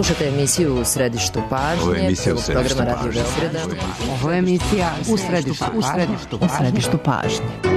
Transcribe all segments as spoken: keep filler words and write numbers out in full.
Slušate emisiju U središtu pažnje. Ovo je emisija U središtu programa pažnje. Radio Beograda. Ovo je emisija U središtu, u središtu, u središtu pažnje.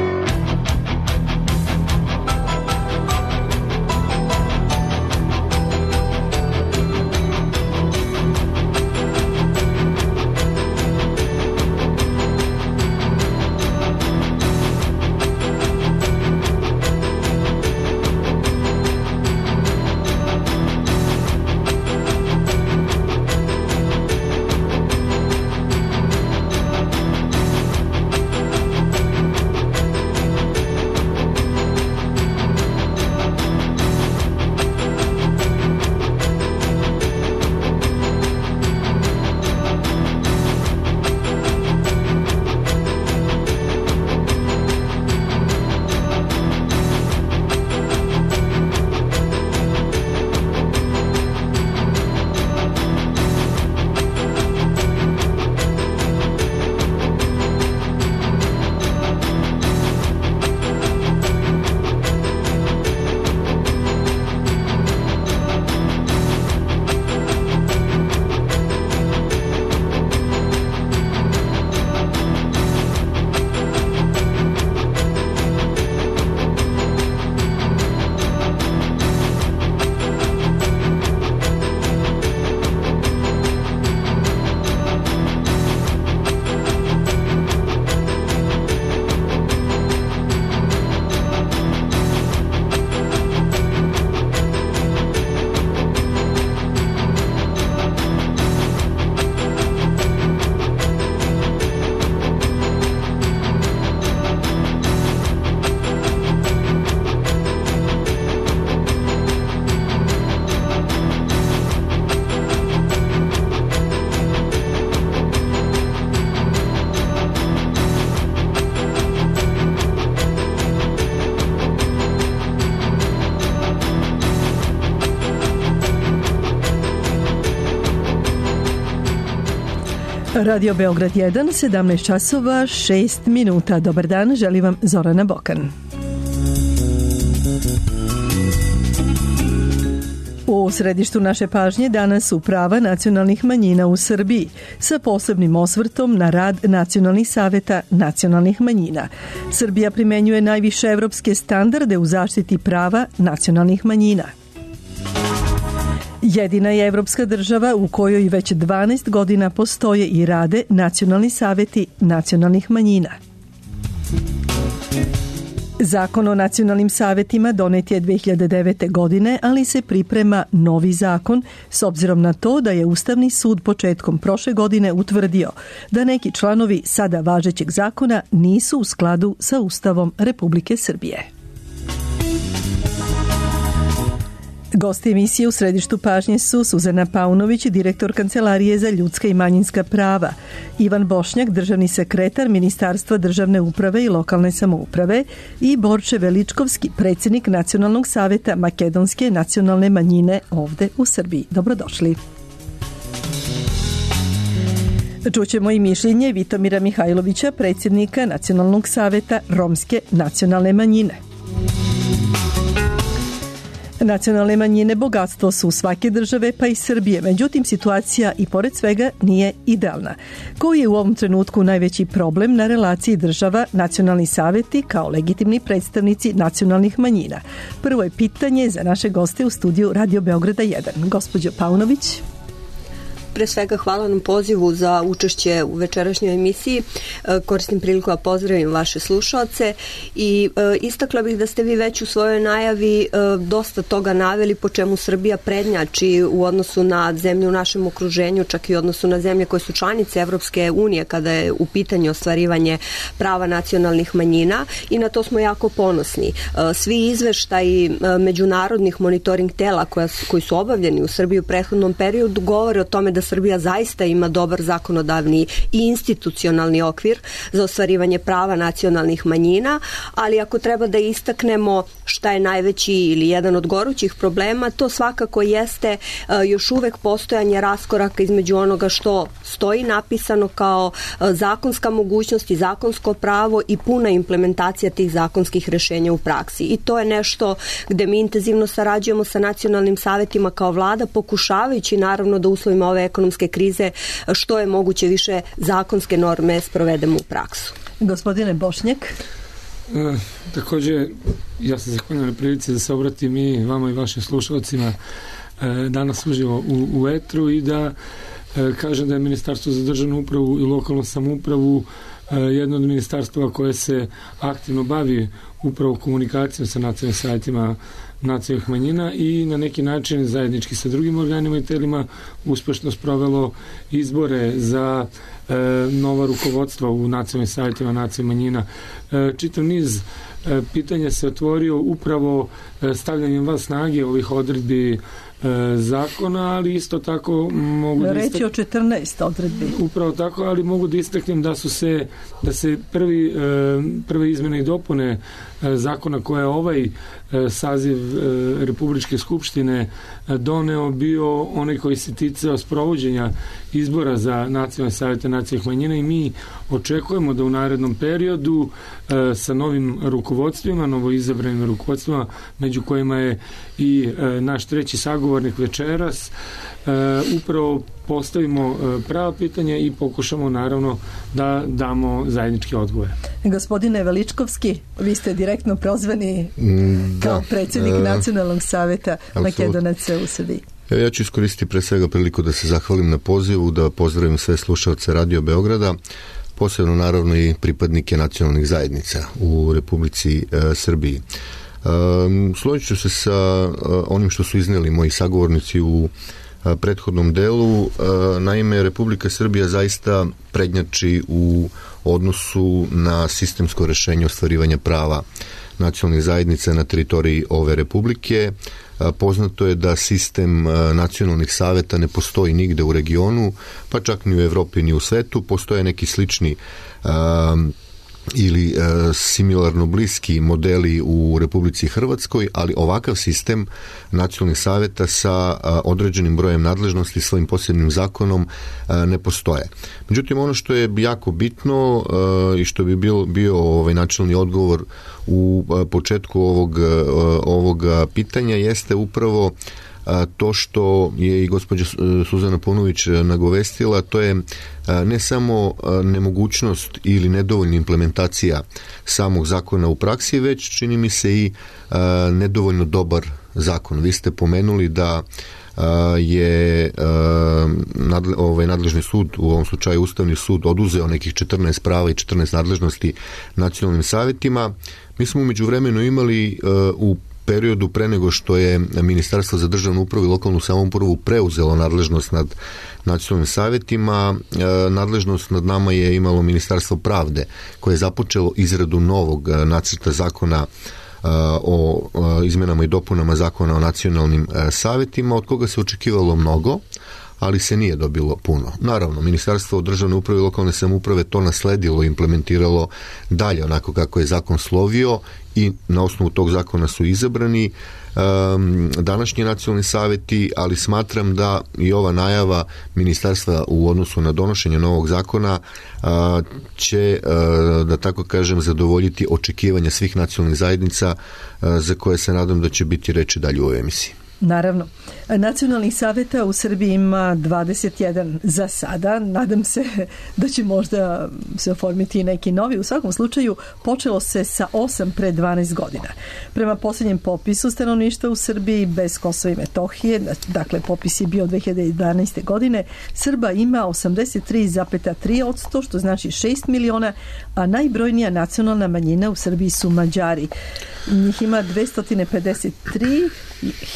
Radio Beograd jedan, sedamnaest časova, šest minuta. Dobar dan, želim vam Zorana Bokan. U središtu naše pažnje danas su prava nacionalnih manjina u Srbiji sa posebnim osvrtom na rad nacionalnih saveta nacionalnih manjina. Srbija primenjuje najviše evropske standarde u zaštiti prava nacionalnih manjina. Jedina je evropska država u kojoj već dvanaest godina postoje i rade nacionalni saveti nacionalnih manjina. Zakon o nacionalnim savetima donet je dve hiljade devete. godine, ali se priprema novi zakon s obzirom na to da je Ustavni sud početkom prošle godine utvrdio da neki članovi sada važećeg zakona nisu u skladu sa Ustavom Republike Srbije. Gosti emisije U središtu pažnje su Suzana Paunović, direktor Kancelarije za ljudska i manjinska prava, Ivan Bošnjak, državni sekretar Ministarstva državne uprave i lokalne samouprave i Borče Veličkovski, predsjednik Nacionalnog saveta makedonske nacionalne manjine ovde u Srbiji. Dobrodošli. Čućemo i mišljenje Vitomira Mihajlovića, predsjednika Nacionalnog saveta romske nacionalne manjine. Nacionalne manjine bogatstvo su svake države pa i Srbije, međutim situacija i pored svega nije idealna. Koji je u ovom trenutku najveći problem na relaciji država nacionalni saveti kao legitimni predstavnici nacionalnih manjina? Prvo je pitanje za naše goste u studiju Radio Beograda jedan. Gospođo Paunović. Pre svega hvala nam pozivu za učešće u večerašnjoj emisiji. Koristim priliku da pozdravim vaše slušalce i istakla bih da ste vi već u svojoj najavi dosta toga naveli po čemu Srbija prednjači u odnosu na zemlje u našem okruženju, čak i u odnosu na zemlje koje su članice Evropske unije kada je u pitanju ostvarivanje prava nacionalnih manjina i na to smo jako ponosni. Svi izveštaji međunarodnih monitoring tela koja, koji su obavljeni u Srbiji u prethodnom periodu govore o tome da Srbija zaista ima dobar zakonodavni i institucionalni okvir za ostvarivanje prava nacionalnih manjina, ali ako treba da istaknemo šta je najveći ili jedan od gorućih problema, to svakako jeste još uvek postojanje raskoraka između onoga što stoji napisano kao zakonska mogućnost i zakonsko pravo i puna implementacija tih zakonskih rešenja u praksi. I to je nešto gde mi intenzivno sarađujemo sa nacionalnim savetima kao vlada, pokušavajući naravno da u uslovima ove ekonomske krize što je moguće više zakonske norme sprovedemo u praksu. Gospodine Bošnjak. E, također, ja se zahvaljujem na prilici da se obratim i vama i vašim slušalcima e, danas uživo u, u etru i da e, kažem da je Ministarstvo za državnu upravu i lokalnu samoupravu e, jedno od ministarstva koje se aktivno bavi upravo komunikacijom sa nacionalnim savjetima nacionalnih manjina i na neki način zajednički sa drugim organima i telima uspešno sprovelo izbore za e, nova rukovodstva u nacionalnim savjetima nacionalnih manjina. E, čitav niz e, pitanja se otvorio upravo e, stavljanjem van snage ovih odredbi zakona, ali isto tako mogu da istak... reći o četrnaest odredbi. Upravo tako, ali mogu da istaknem da su se da se prvi, prve izmene i dopune zakona koje je ovaj saziv Republičke skupštine doneo bio onaj koji se ticao sprovođenja izbora za nacionalne savjete nacionalnih manjina i mi očekujemo da u narednom periodu sa novim rukovodstvima, novoizabranim rukovodstvima, među kojima je i naš treći sagovornik večeras, upravo postavimo prava pitanja i pokušamo naravno da damo zajednički odgovor. Gospodine Veličkovski, vi ste direktno prozvani kao da, predsjednik e, Nacionalnog savjeta Makedonaca u Srbiji. Ja ću iskoristiti pre svega priliku da se zahvalim na pozivu, da pozdravim sve slušalce Radio Beograda, posebno naravno i pripadnike nacionalnih zajednica u Republici e, Srbiji. E, složit ću se sa e, onim što su izneli moji sagovornici u e, prethodnom delu. E, naime, Republika Srbija zaista prednjači u odnosu na sistemsko rešenje ostvarivanja prava nacionalnih zajednica na teritoriji ove republike. Poznato je da sistem nacionalnih saveta ne postoji nigde u regionu, pa čak ni u Evropi ni u svetu. Postoje neki slični um, ili e, similarno bliski modeli u Republici Hrvatskoj, ali ovakav sistem nacionalnih savjeta sa a, određenim brojem nadležnosti svojim posebnim zakonom a, ne postoje. Međutim, ono što je jako bitno a, i što bi bio, bio ovaj načelni odgovor u a, početku ovog, a, ovog pitanja jeste upravo to što je i gospođa Suzana Paunović nagovestila, to je ne samo nemogućnost ili nedovoljna implementacija samog zakona u praksi, već čini mi se i nedovoljno dobar zakon. Vi ste pomenuli da je ovaj nadležni sud, u ovom slučaju Ustavni sud, oduzeo nekih četrnaest prava i četrnaest nadležnosti nacionalnim savjetima. Mi smo u međuvremenu imali u periodu pre nego što je Ministarstvo za državnu upravu i lokalnu samoupravu preuzelo nadležnost nad nacionalnim savjetima, nadležnost nad nama je imalo Ministarstvo pravde, koje je započelo izradu novog nacrta zakona o izmenama i dopunama zakona o nacionalnim savjetima, od koga se očekivalo mnogo, ali se nije dobilo puno. Naravno, Ministarstvo državne uprave i lokalne samouprave to nasledilo i implementiralo dalje onako kako je zakon slovio i na osnovu tog zakona su izabrani um, današnji nacionalni savjeti, ali smatram da i ova najava ministarstva u odnosu na donošenje novog zakona uh, će, uh, da tako kažem, zadovoljiti očekivanja svih nacionalnih zajednica uh, za koje se nadam da će biti reči dalje u ovoj emisiji. Naravno. Nacionalnih savjeta u Srbiji ima dvadeset jedan za sada. Nadam se da će možda se oformiti neki novi. U svakom slučaju počelo se sa osam pre dvanaest godina. Prema posljednjem popisu stanovništva u Srbiji bez Kosova i Metohije, dakle popis je bio dve hiljade jedanaeste. godine, Srba ima osamdeset tri zarez tri posto, što znači šest miliona, a najbrojnija nacionalna manjina u Srbiji su Mađari. Njih ima dvesta pedeset tri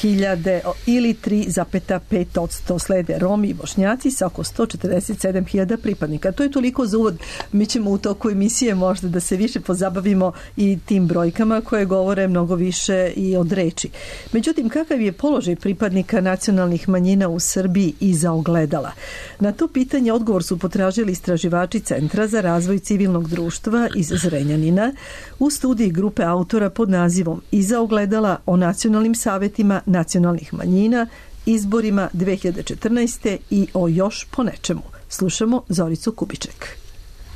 hiljade hiljade ili tri zarez pet posto. Slede Romi i Bošnjaci sa oko sto četrdeset sedam hiljada pripadnika. To je toliko za uvod. Mi ćemo u toku emisije možda da se više pozabavimo i tim brojkama koje govore mnogo više i od reči. Međutim, kakav je položaj pripadnika nacionalnih manjina u Srbiji iza ogledala? Na to pitanje odgovor su potražili istraživači Centra za razvoj civilnog društva iz Zrenjanina u studiji grupe autora pod nazivom Iza ogledala o nacionalnim savetima nacionalnih manjina, izborima dve hiljade četrnaeste. i o još po nečemu. Slušamo Zoricu Kubiček.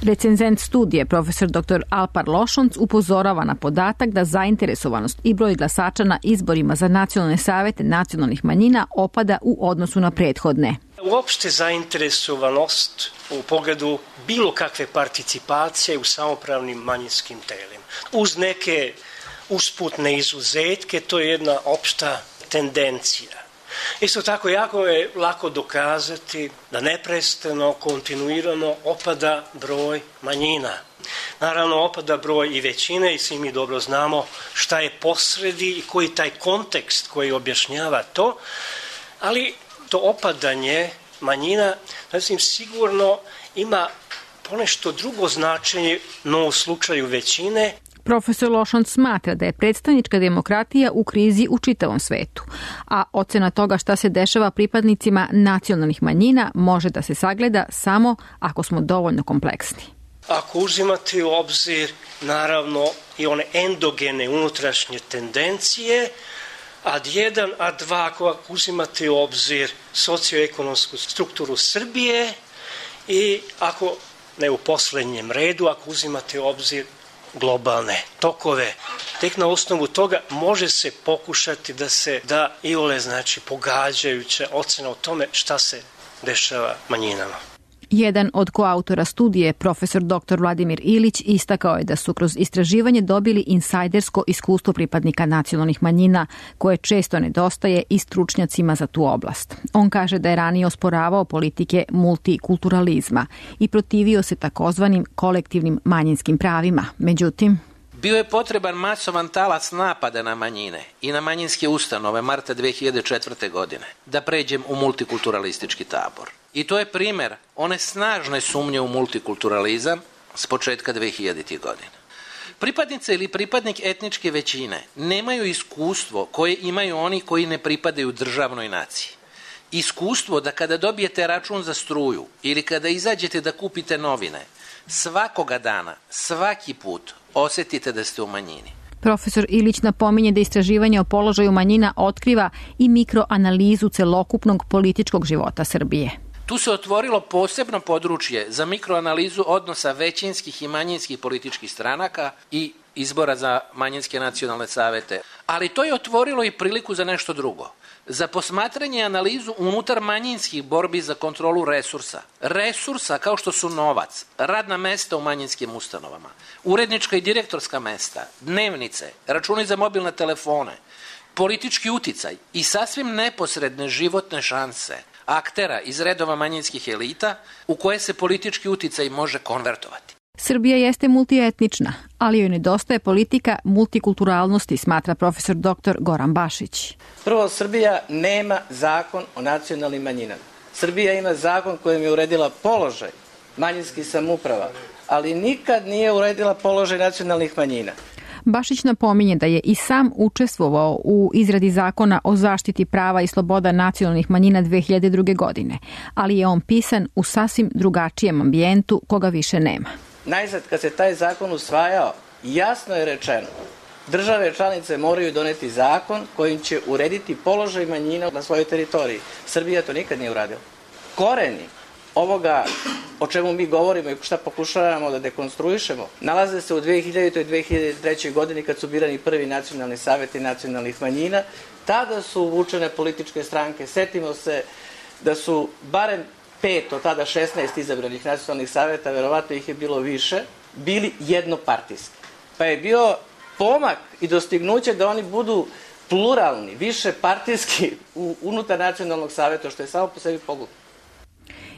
Recenzent studije, profesor doktor Alpar Lošonc, upozorava na podatak da zainteresovanost i broj glasača na izborima za nacionalne savete nacionalnih manjina opada u odnosu na prethodne. Uopšte zainteresovanost u pogledu bilo kakve participacije u samopravnim manjinskim telima. Uz neke usputne izuzetke, to je jedna opšta tendencija. Isto tako, jako je lako dokazati da neprestano, kontinuirano opada broj manjina. Naravno, opada broj i većine i svi mi dobro znamo šta je posredi i koji taj kontekst koji objašnjava to, ali to opadanje manjina, znači, sigurno ima ponešto drugo značenje, no u slučaju većine. Profesor Lošonc smatra da je predstavnička demokratija u krizi u čitavom svetu, a ocena toga šta se dešava pripadnicima nacionalnih manjina može da se sagleda samo ako smo dovoljno kompleksni. Ako uzimate u obzir, naravno, i one endogene unutrašnje tendencije, ad jedan, ad dva, ako uzimate u obzir socioekonomsku strukturu Srbije i ako, ne u poslednjem redu, ako uzimate u obzir globalne tokove. Tek na osnovu toga može se pokušati da se da iole, znači, pogađajuća ocena o tome šta se dešava manjinama. Jedan od koautora studije, profesor doktor Vladimir Ilić, istakao je da su kroz istraživanje dobili insajdersko iskustvo pripadnika nacionalnih manjina, koje često nedostaje i stručnjacima za tu oblast. On kaže da je ranije osporavao politike multikulturalizma i protivio se takozvanim kolektivnim manjinskim pravima. Međutim, bio je potreban masovan talac napada na manjine i na manjinske ustanove marta dve hiljade četvrte. godine da pređem u multikulturalistički tabor. I to je primer one snažne sumnje u multikulturalizam s početka dve hiljaditih. godina. Pripadnice ili pripadnik etničke većine nemaju iskustvo koje imaju oni koji ne pripadaju državnoj naciji. Iskustvo da kada dobijete račun za struju ili kada izađete da kupite novine, svakoga dana, svaki put osetite da ste u manjini. Profesor Ilić napominje da istraživanje o položaju manjina otkriva i mikroanalizu celokupnog političkog života Srbije. Tu se otvorilo posebno područje za mikroanalizu odnosa većinskih i manjinskih političkih stranaka i izbora za manjinske nacionalne savete. Ali to je otvorilo i priliku za nešto drugo. Za posmatranje i analizu unutar manjinskih borbi za kontrolu resursa. Resursa kao što su novac, radna mesta u manjinskim ustanovama, urednička i direktorska mesta, dnevnice, računi za mobilne telefone, politički uticaj i sasvim neposredne životne šanse aktera iz redova manjinskih elita u koje se politički uticaj može konvertovati. Srbija jeste multietnična, ali joj nedostaje politika multikulturalnosti, smatra profesor doktor Goran Bašić. Prvo, Srbija nema zakon o nacionalnim manjinama. Srbija ima zakon kojim je uredila položaj manjinskih samouprava, ali nikad nije uredila položaj nacionalnih manjina. Bašić napominje da je i sam učestvovao u izradi zakona o zaštiti prava i sloboda nacionalnih manjina dve hiljade druge. godine, ali je on pisan u sasvim drugačijem ambijentu koga više nema. Najzad, kad se taj zakon usvajao, jasno je rečeno, države članice moraju doneti zakon kojim će urediti položaj manjina na svojoj teritoriji. Srbija to nikad nije uradila. Koreni ovoga o čemu mi govorimo i šta pokušavamo da dekonstruišemo, nalaze se u dve hiljaditoj i dve hiljade trećoj. godini kad su birani prvi nacionalni saveti nacionalnih manjina. Tada su uvučene političke stranke. Setimo se da su barem pet od tada šesnaest izabranih nacionalnih saveta, verovatno ih je bilo više, bili jednopartijski. Pa je bio pomak i dostignuće da oni budu pluralni, više partijski unutar nacionalnog saveta, što je samo po sebi pogubno.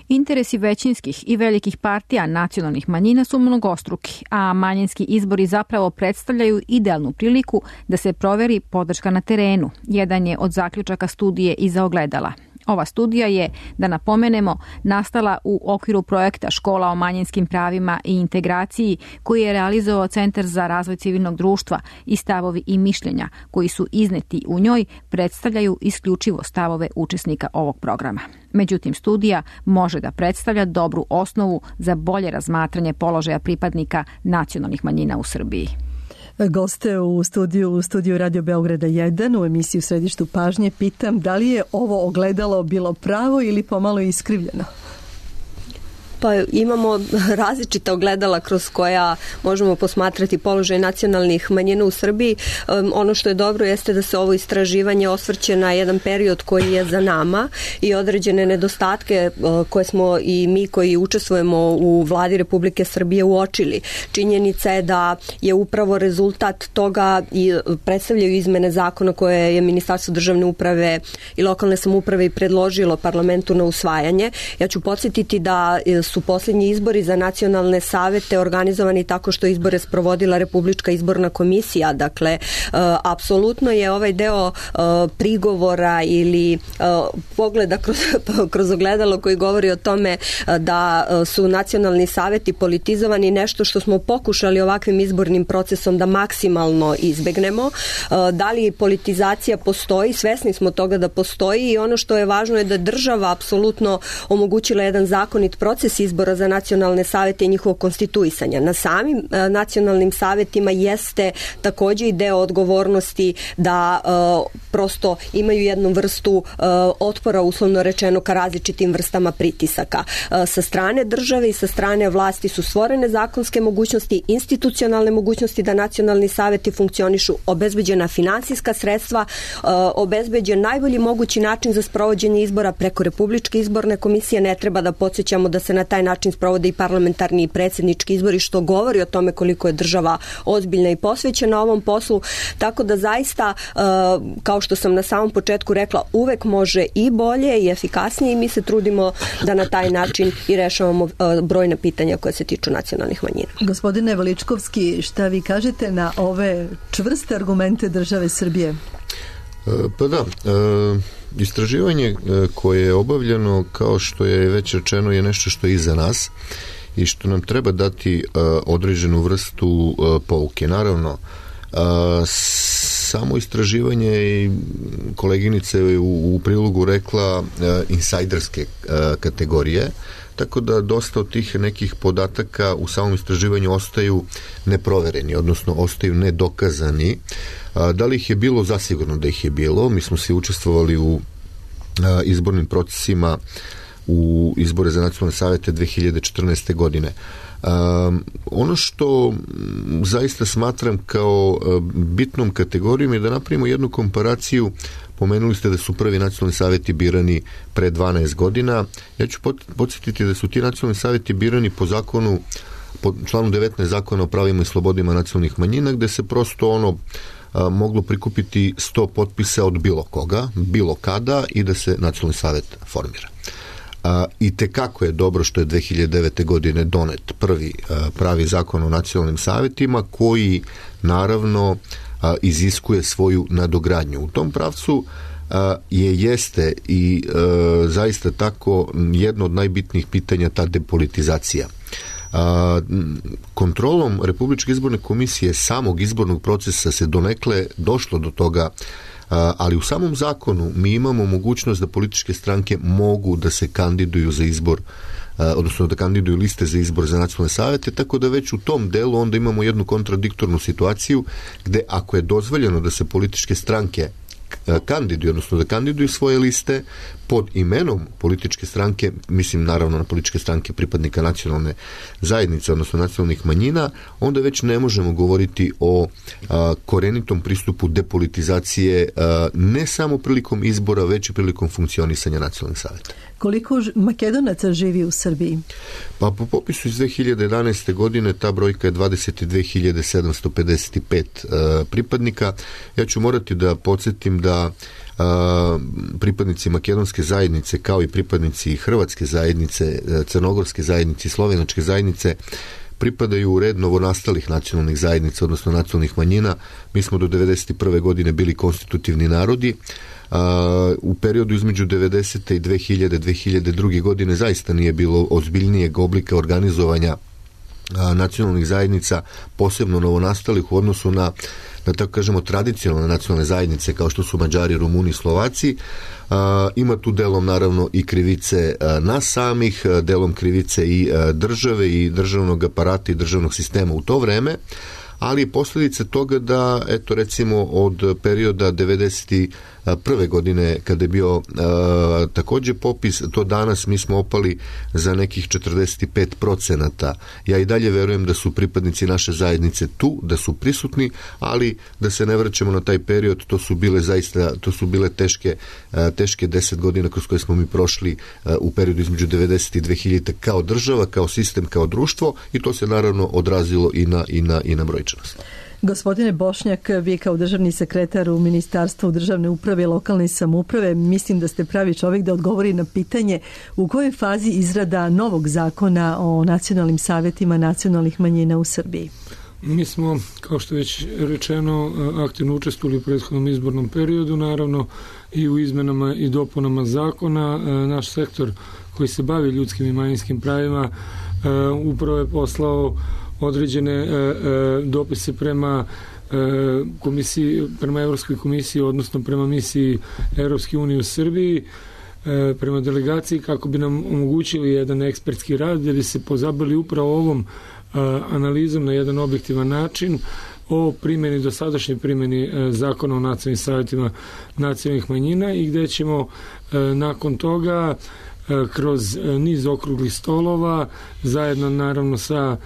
Interesi većinskih i velikih partija nacionalnih manjina su mnogostruki, a manjinski izbori zapravo predstavljaju idealnu priliku da se proveri podrška na terenu. Jedan je od zaključaka studije Iza ogledala. Ova studija je, da napomenemo, nastala u okviru projekta Škola o manjinskim pravima i integraciji koji je realizovao Centar za razvoj civilnog društva i stavovi i mišljenja koji su izneti u njoj predstavljaju isključivo stavove učesnika ovog programa. Međutim, studija može da predstavlja dobru osnovu za bolje razmatranje položaja pripadnika nacionalnih manjina u Srbiji. Goste u studiju, u studiju Radio Beograda jedan u emisiji U središtu pažnje pitam da li je ovo ogledalo bilo pravo ili pomalo iskrivljeno? Pa imamo različita ogledala kroz koja možemo posmatrati položaj nacionalnih manjina u Srbiji. Um, ono što je dobro jeste da se ovo istraživanje osvrće na jedan period koji je za nama i određene nedostatke uh, koje smo i mi koji učestvujemo u vladi Republike Srbije uočili. Činjenica je da je upravo rezultat toga i predstavljaju izmene zakona koje je Ministarstvo državne uprave i lokalne samouprave i predložilo parlamentu na usvajanje. Ja ću podsjetiti da su posljednji izbori za nacionalne savete organizovani tako što izbore sprovodila Republička izborna komisija. Dakle, uh, apsolutno je ovaj deo uh, prigovora ili uh, pogleda kroz, kroz ogledalo koji govori o tome uh, da uh, su nacionalni saveti politizovani nešto što smo pokušali ovakvim izbornim procesom da maksimalno izbegnemo. Uh, da li politizacija postoji? Svesni smo toga da postoji i ono što je važno je da država apsolutno omogućila jedan zakonit proces izbora za nacionalne savete i njihovog konstituisanja. Na samim uh, nacionalnim savetima jeste takođe i deo odgovornosti da uh, prosto imaju jednu vrstu uh, otpora, uslovno rečeno, ka različitim vrstama pritisaka. Uh, sa strane države i sa strane vlasti su stvorene zakonske mogućnosti, institucionalne mogućnosti da nacionalni saveti funkcionišu, obezbeđena finansijska sredstva, uh, obezbeđen najbolji mogući način za sprovođenje izbora preko Republičke izborne komisije. Ne treba da podsjećamo da se na taj način sprovode i parlamentarni i predsjednički izbori, što govori o tome koliko je država ozbiljna i posvećena ovom poslu. Tako da zaista, kao što sam na samom početku rekla, uvek može i bolje i efikasnije i mi se trudimo da na taj način i rešavamo brojne pitanja koje se tiču nacionalnih manjina. Gospodine Veličkovski, šta vi kažete na ove čvrste argumente države Srbije? Pa da, istraživanje koje je obavljeno, kao što je već rečeno, je nešto što je iza nas i što nam treba dati određenu vrstu pouke. Naravno, samo istraživanje i koleginica je u, u prilogu rekla insajderske kategorije, tako da dosta od tih nekih podataka u samom istraživanju ostaju neprovereni, odnosno ostaju nedokazani. Da li ih je bilo? Zasigurno da ih je bilo. Mi smo svi učestvovali u izbornim procesima u izbore za nacionalne savete dve hiljade četrnaeste. godine. Um, ono što zaista smatram kao bitnom kategorijom je da napravimo jednu komparaciju. Pomenuli ste da su prvi nacionalni saveti birani pre dvanaest godina. Ja ću podsjetiti da su ti nacionalni saveti birani po zakonu, po članu devetnaest zakona o pravima i slobodima nacionalnih manjina, gde se prosto ono a, moglo prikupiti sto potpisa od bilo koga, bilo kada i da se nacionalni savet formira. A, i tekako je dobro što je dve hiljade devete. godine donet prvi a, pravi zakon o nacionalnim savetima koji naravno a, iziskuje svoju nadogradnju. U tom pravcu a, je jeste i a, zaista tako jedno od najbitnijih pitanja ta depolitizacija. A, kontrolom Republičke izborne komisije samog izbornog procesa se donekle došlo do toga, ali u samom zakonu mi imamo mogućnost da političke stranke mogu da se kandiduju za izbor, odnosno da kandiduju liste za izbor za nacionalne savete, tako da već u tom delu onda imamo jednu kontradiktornu situaciju gde ako je dozvoljeno da se političke stranke kandiduju, odnosno da kandiduju svoje liste pod imenom političke stranke, mislim naravno na političke stranke pripadnika nacionalne zajednice, odnosno nacionalnih manjina, onda već ne možemo govoriti o a, korenitom pristupu depolitizacije a, ne samo prilikom izbora, već i prilikom funkcionisanja nacionalnih saveta. Koliko Makedonaca živi u Srbiji? Pa po popisu iz dve hiljade jedanaeste. godine ta brojka je dvadeset dve hiljade sedamsto pedeset pet uh, pripadnika. Ja ću morati da podsjetim da pripadnici makedonske zajednice kao i pripadnici hrvatske zajednice, crnogorske zajednice i slovenačke zajednice pripadaju u red novonastalih nacionalnih zajednica, odnosno nacionalnih manjina. Mi smo do devedeset prve godine bili konstitutivni narodi. U periodu između devedesete i dve hiljade, dve hiljade druge godine zaista nije bilo ozbiljnijeg oblika organizovanja nacionalnih zajednica, posebno novonastalih u odnosu na, da tako kažemo, tradicionalne nacionalne zajednice kao što su Mađari, Rumuni, Slovaci. Ima tu delom naravno i krivice nas samih, delom krivice i države i državnog aparata i državnog sistema u to vreme, ali posljedice toga da, eto recimo od perioda devedeset prve godine kada je bio a, također popis, to danas mi smo opali za nekih četrdeset pet procenata. Ja i dalje verujem da su pripadnici naše zajednice tu, da su prisutni, ali da se ne vraćamo na taj period, to su bile zaista, to su bile teške, a, teške deset godina kroz koje smo mi prošli a, u periodu između devedeset i dve hiljade kao država, kao sistem, kao društvo, i to se naravno odrazilo i na, i na, i na brojčanost. Gospodine Bošnjak, vi kao državni sekretar u Ministarstvu državne uprave i lokalne samouprave, mislim da ste pravi čovjek da odgovori na pitanje u kojoj fazi izrada novog zakona o nacionalnim savjetima nacionalnih manjina u Srbiji. Mi smo, kao što je već rečeno, aktivno učestvovali u prethodnom izbornom periodu, naravno i u izmenama i dopunama zakona. Naš sektor koji se bavi ljudskim i manjinskim pravima upravo je poslao određene e, e, dopise prema e, komisiji, prema Evropskoj komisiji, odnosno prema misiji Evropske unije u Srbiji, e, prema delegaciji, kako bi nam omogućili jedan ekspertski rad gdje bi se pozabili upravo ovom e, analizom na jedan objektivan način o primjeni, dosadašnjoj primjeni e, zakona o nacionalnim savjetima nacionalnih manjina, i gdje ćemo e, nakon toga e, kroz e, niz okruglih stolova zajedno naravno sa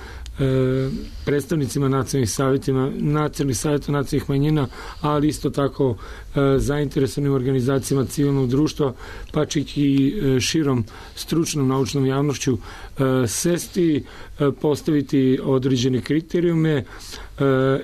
predstavnicima nacionalnih savjetima, nacionalnih savjeta nacionalnih manjina, ali isto tako e, zainteresovanim organizacijama civilnog društva, pa čak i e, širom stručnom naučnom javnošću e, sesti, e, postaviti određene kriterijume e,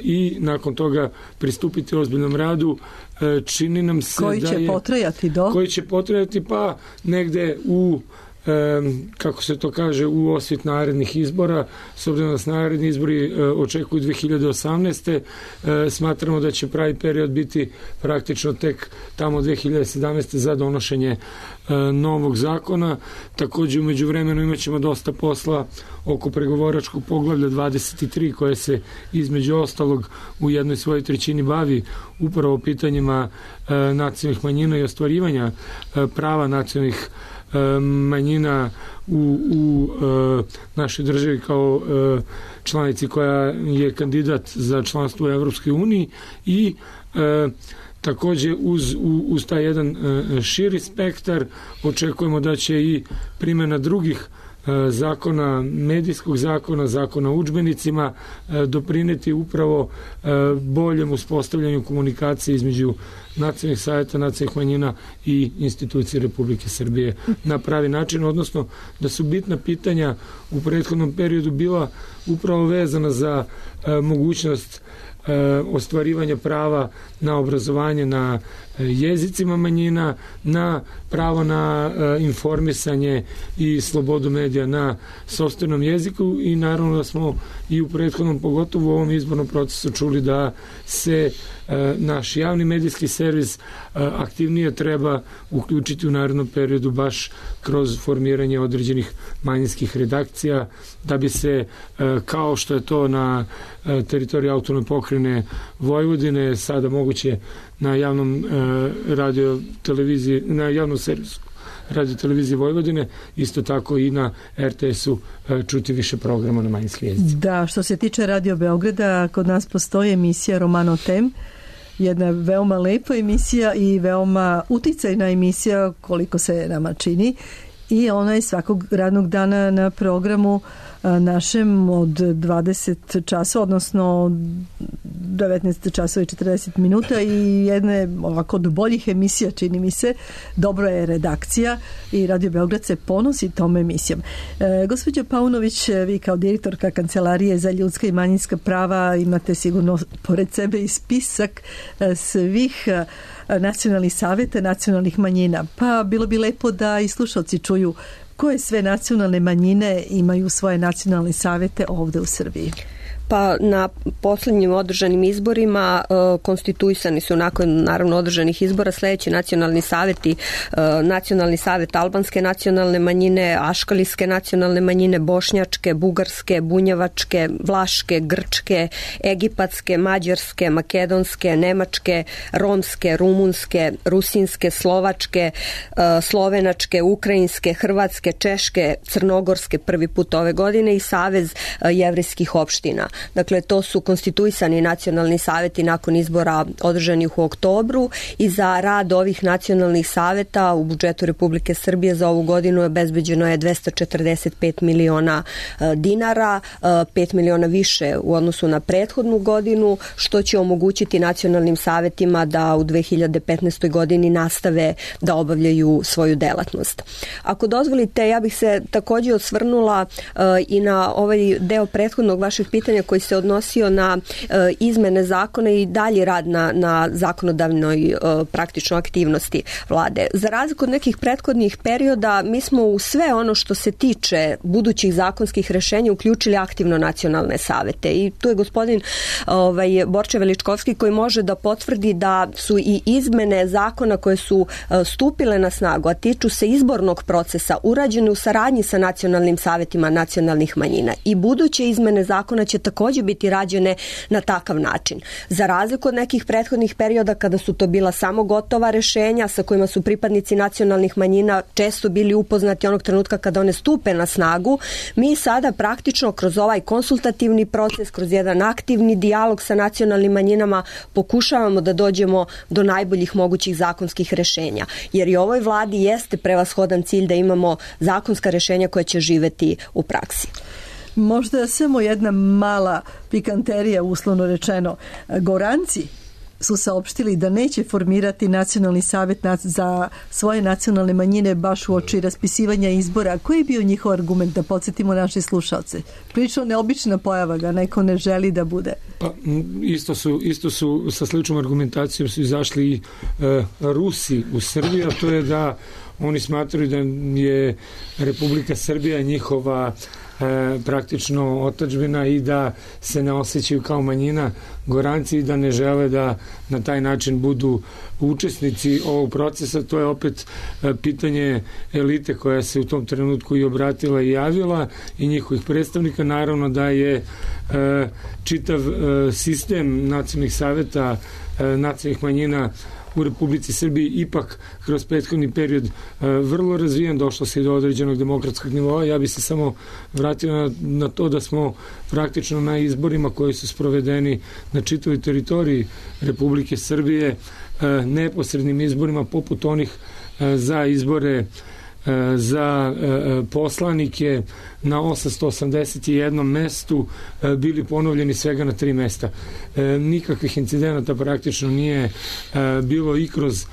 i nakon toga pristupiti ozbiljnom radu. E, čini nam se koji da će je, potrajati do? Koji će potrajati pa negde u E, kako se to kaže, u osvit narednih izbora. S obzirom da se naredni izbori e, očekuju dve hiljade osamnaeste. E, smatramo da će pravi period biti praktično tek tamo dve hiljade sedamnaeste za donošenje e, novog zakona. Također u međuvremenu imat ćemo dosta posla oko pregovoračkog poglavlja dvadeset tri koje se između ostalog u jednoj svojoj trećini bavi upravo pitanjima e, nacionalnih manjina i ostvarivanja e, prava nacionalnih manjina u, u e, našoj državi kao e, članici koja je kandidat za članstvo u Evropskoj uniji, i e, također uz, uz taj jedan e, širi spektar očekujemo da će i primjena drugih zakona, medijskog zakona, zakona o udžbenicima doprineti upravo boljem uspostavljanju komunikacije između nacionalnih savjeta nacionalnih manjina i institucije Republike Srbije na pravi način, odnosno da su bitna pitanja u prethodnom periodu bila upravo vezana za mogućnost ostvarivanja prava na obrazovanje na jezicima manjina, na pravo na informisanje i slobodu medija na sopstvenom jeziku, i naravno da smo i u prethodnom, pogotovo u ovom izbornom procesu, čuli da se naš javni medijski servis aktivnije treba uključiti u narednom periodu baš kroz formiranje određenih manjinskih redakcija, da bi se, kao što je to na teritoriji autonomne pokrajine Vojvodine, sada moguće na javnom radio televiziji, na javnom servisu radio televizije Vojvodine, isto tako i na er te esu čuti više programa na manjinskim jezicima. Da, što se tiče Radio Beograda, kod nas postoji emisija Romano Tem, jedna veoma lepa emisija i veoma uticajna emisija koliko se nama čini, i ona je svakog radnog dana na programu našem od dvadeset časova, odnosno devetnaest časova i četrdeset minuta i jedne ovako od boljih emisija, čini mi se. Dobro je redakcija i Radio Beograd se ponosi tom emisijom. E, gospođo Paunović, vi kao direktorka Kancelarije za ljudska i manjinska prava imate sigurno pored sebe i spisak svih nacionalnih saveta nacionalnih manjina. Pa bilo bi lepo da i slušalci čuju koje sve nacionalne manjine imaju svoje nacionalne savete ovde u Srbiji. Pa na poslednjim održanim izborima e, konstituisani su nakon naravno održanih izbora sledeći nacionalni saveti, e, nacionalni savet albanske nacionalne manjine, aškalijske nacionalne manjine, bošnjačke, bugarske, bunjevačke, vlaške, grčke, egipatske, mađarske, makedonske, nemačke, romske, rumunske, rusinske, slovačke, e, slovenačke, ukrajinske, hrvatske, češke, crnogorske prvi put ove godine i Savez e, jevrejskih opština. Dakle, to su konstituisani nacionalni saveti nakon izbora održanih u oktobru i za rad ovih nacionalnih saveta u budžetu Republike Srbije za ovu godinu je obezbeđeno je dvesta četrdeset pet miliona dinara, pet miliona više u odnosu na prethodnu godinu, što će omogućiti nacionalnim savetima da u dve hiljade petnaestoj godini nastave da obavljaju svoju delatnost. Ako dozvolite, ja bih se takođe osvrnula i na ovaj deo prethodnog vašeg pitanja koji se odnosio na e, izmene zakona i dalji rad na, na zakonodavnoj e, praktičnoj aktivnosti vlade. Za razliku od nekih prethodnih perioda, mi smo u sve ono što se tiče budućih zakonskih rešenja uključili aktivno nacionalne savete i tu je gospodin ovaj, Borče Veličkovski koji može da potvrdi da su i izmene zakona koje su e, stupile na snagu, a tiču se izbornog procesa, urađene u saradnji sa nacionalnim savetima nacionalnih manjina i buduće izmene zakona će takođe biti rađene na takav način. Za razliku od nekih prethodnih perioda kada su to bila samo gotova rešenja sa kojima su pripadnici nacionalnih manjina često bili upoznati onog trenutka kada one stupe na snagu, mi sada praktično kroz ovaj konsultativni proces, kroz jedan aktivni dijalog sa nacionalnim manjinama pokušavamo da dođemo do najboljih mogućih zakonskih rešenja. Jer i ovoj vladi jeste prevashodan cilj da imamo zakonska rešenja koja će živeti u praksi. Možda samo jedna mala pikanterija, uslovno rečeno. Goranci su saopštili da neće formirati nacionalni savet za svoje nacionalne manjine baš u oči raspisivanja izbora. Koji je bio njihov argument, da podsjetimo naše slušalce? Prilično neobična pojava ga, neko ne želi da bude. Pa, isto su, isto su sa sličnom argumentacijom su izašli i e, Rusi u Srbiji, a to je da oni smatraju da je Republika Srbija njihova E, praktično otadžbina i da se ne osjećaju kao manjina Goranci i da ne žele da na taj način budu učesnici ovog procesa. To je opet e, pitanje elite koja se u tom trenutku i obratila i javila i njihovih predstavnika. Naravno da je e, čitav e, sistem nacionalnih saveta e, nacionalnih manjina u Republici Srbiji ipak kroz prethodni period e, vrlo razvijen, došlo se i do određenog demokratskog nivoa. Ja bi se samo vratio na, na to da smo praktično na izborima koji su sprovedeni na čitavoj teritoriji Republike Srbije, e, neposrednim izborima poput onih e, za izbore za poslanike na osamsto osamdeset jednom mestu bili ponovljeni svega na tri mesta. Nikakvih incidenata praktično nije bilo i kroz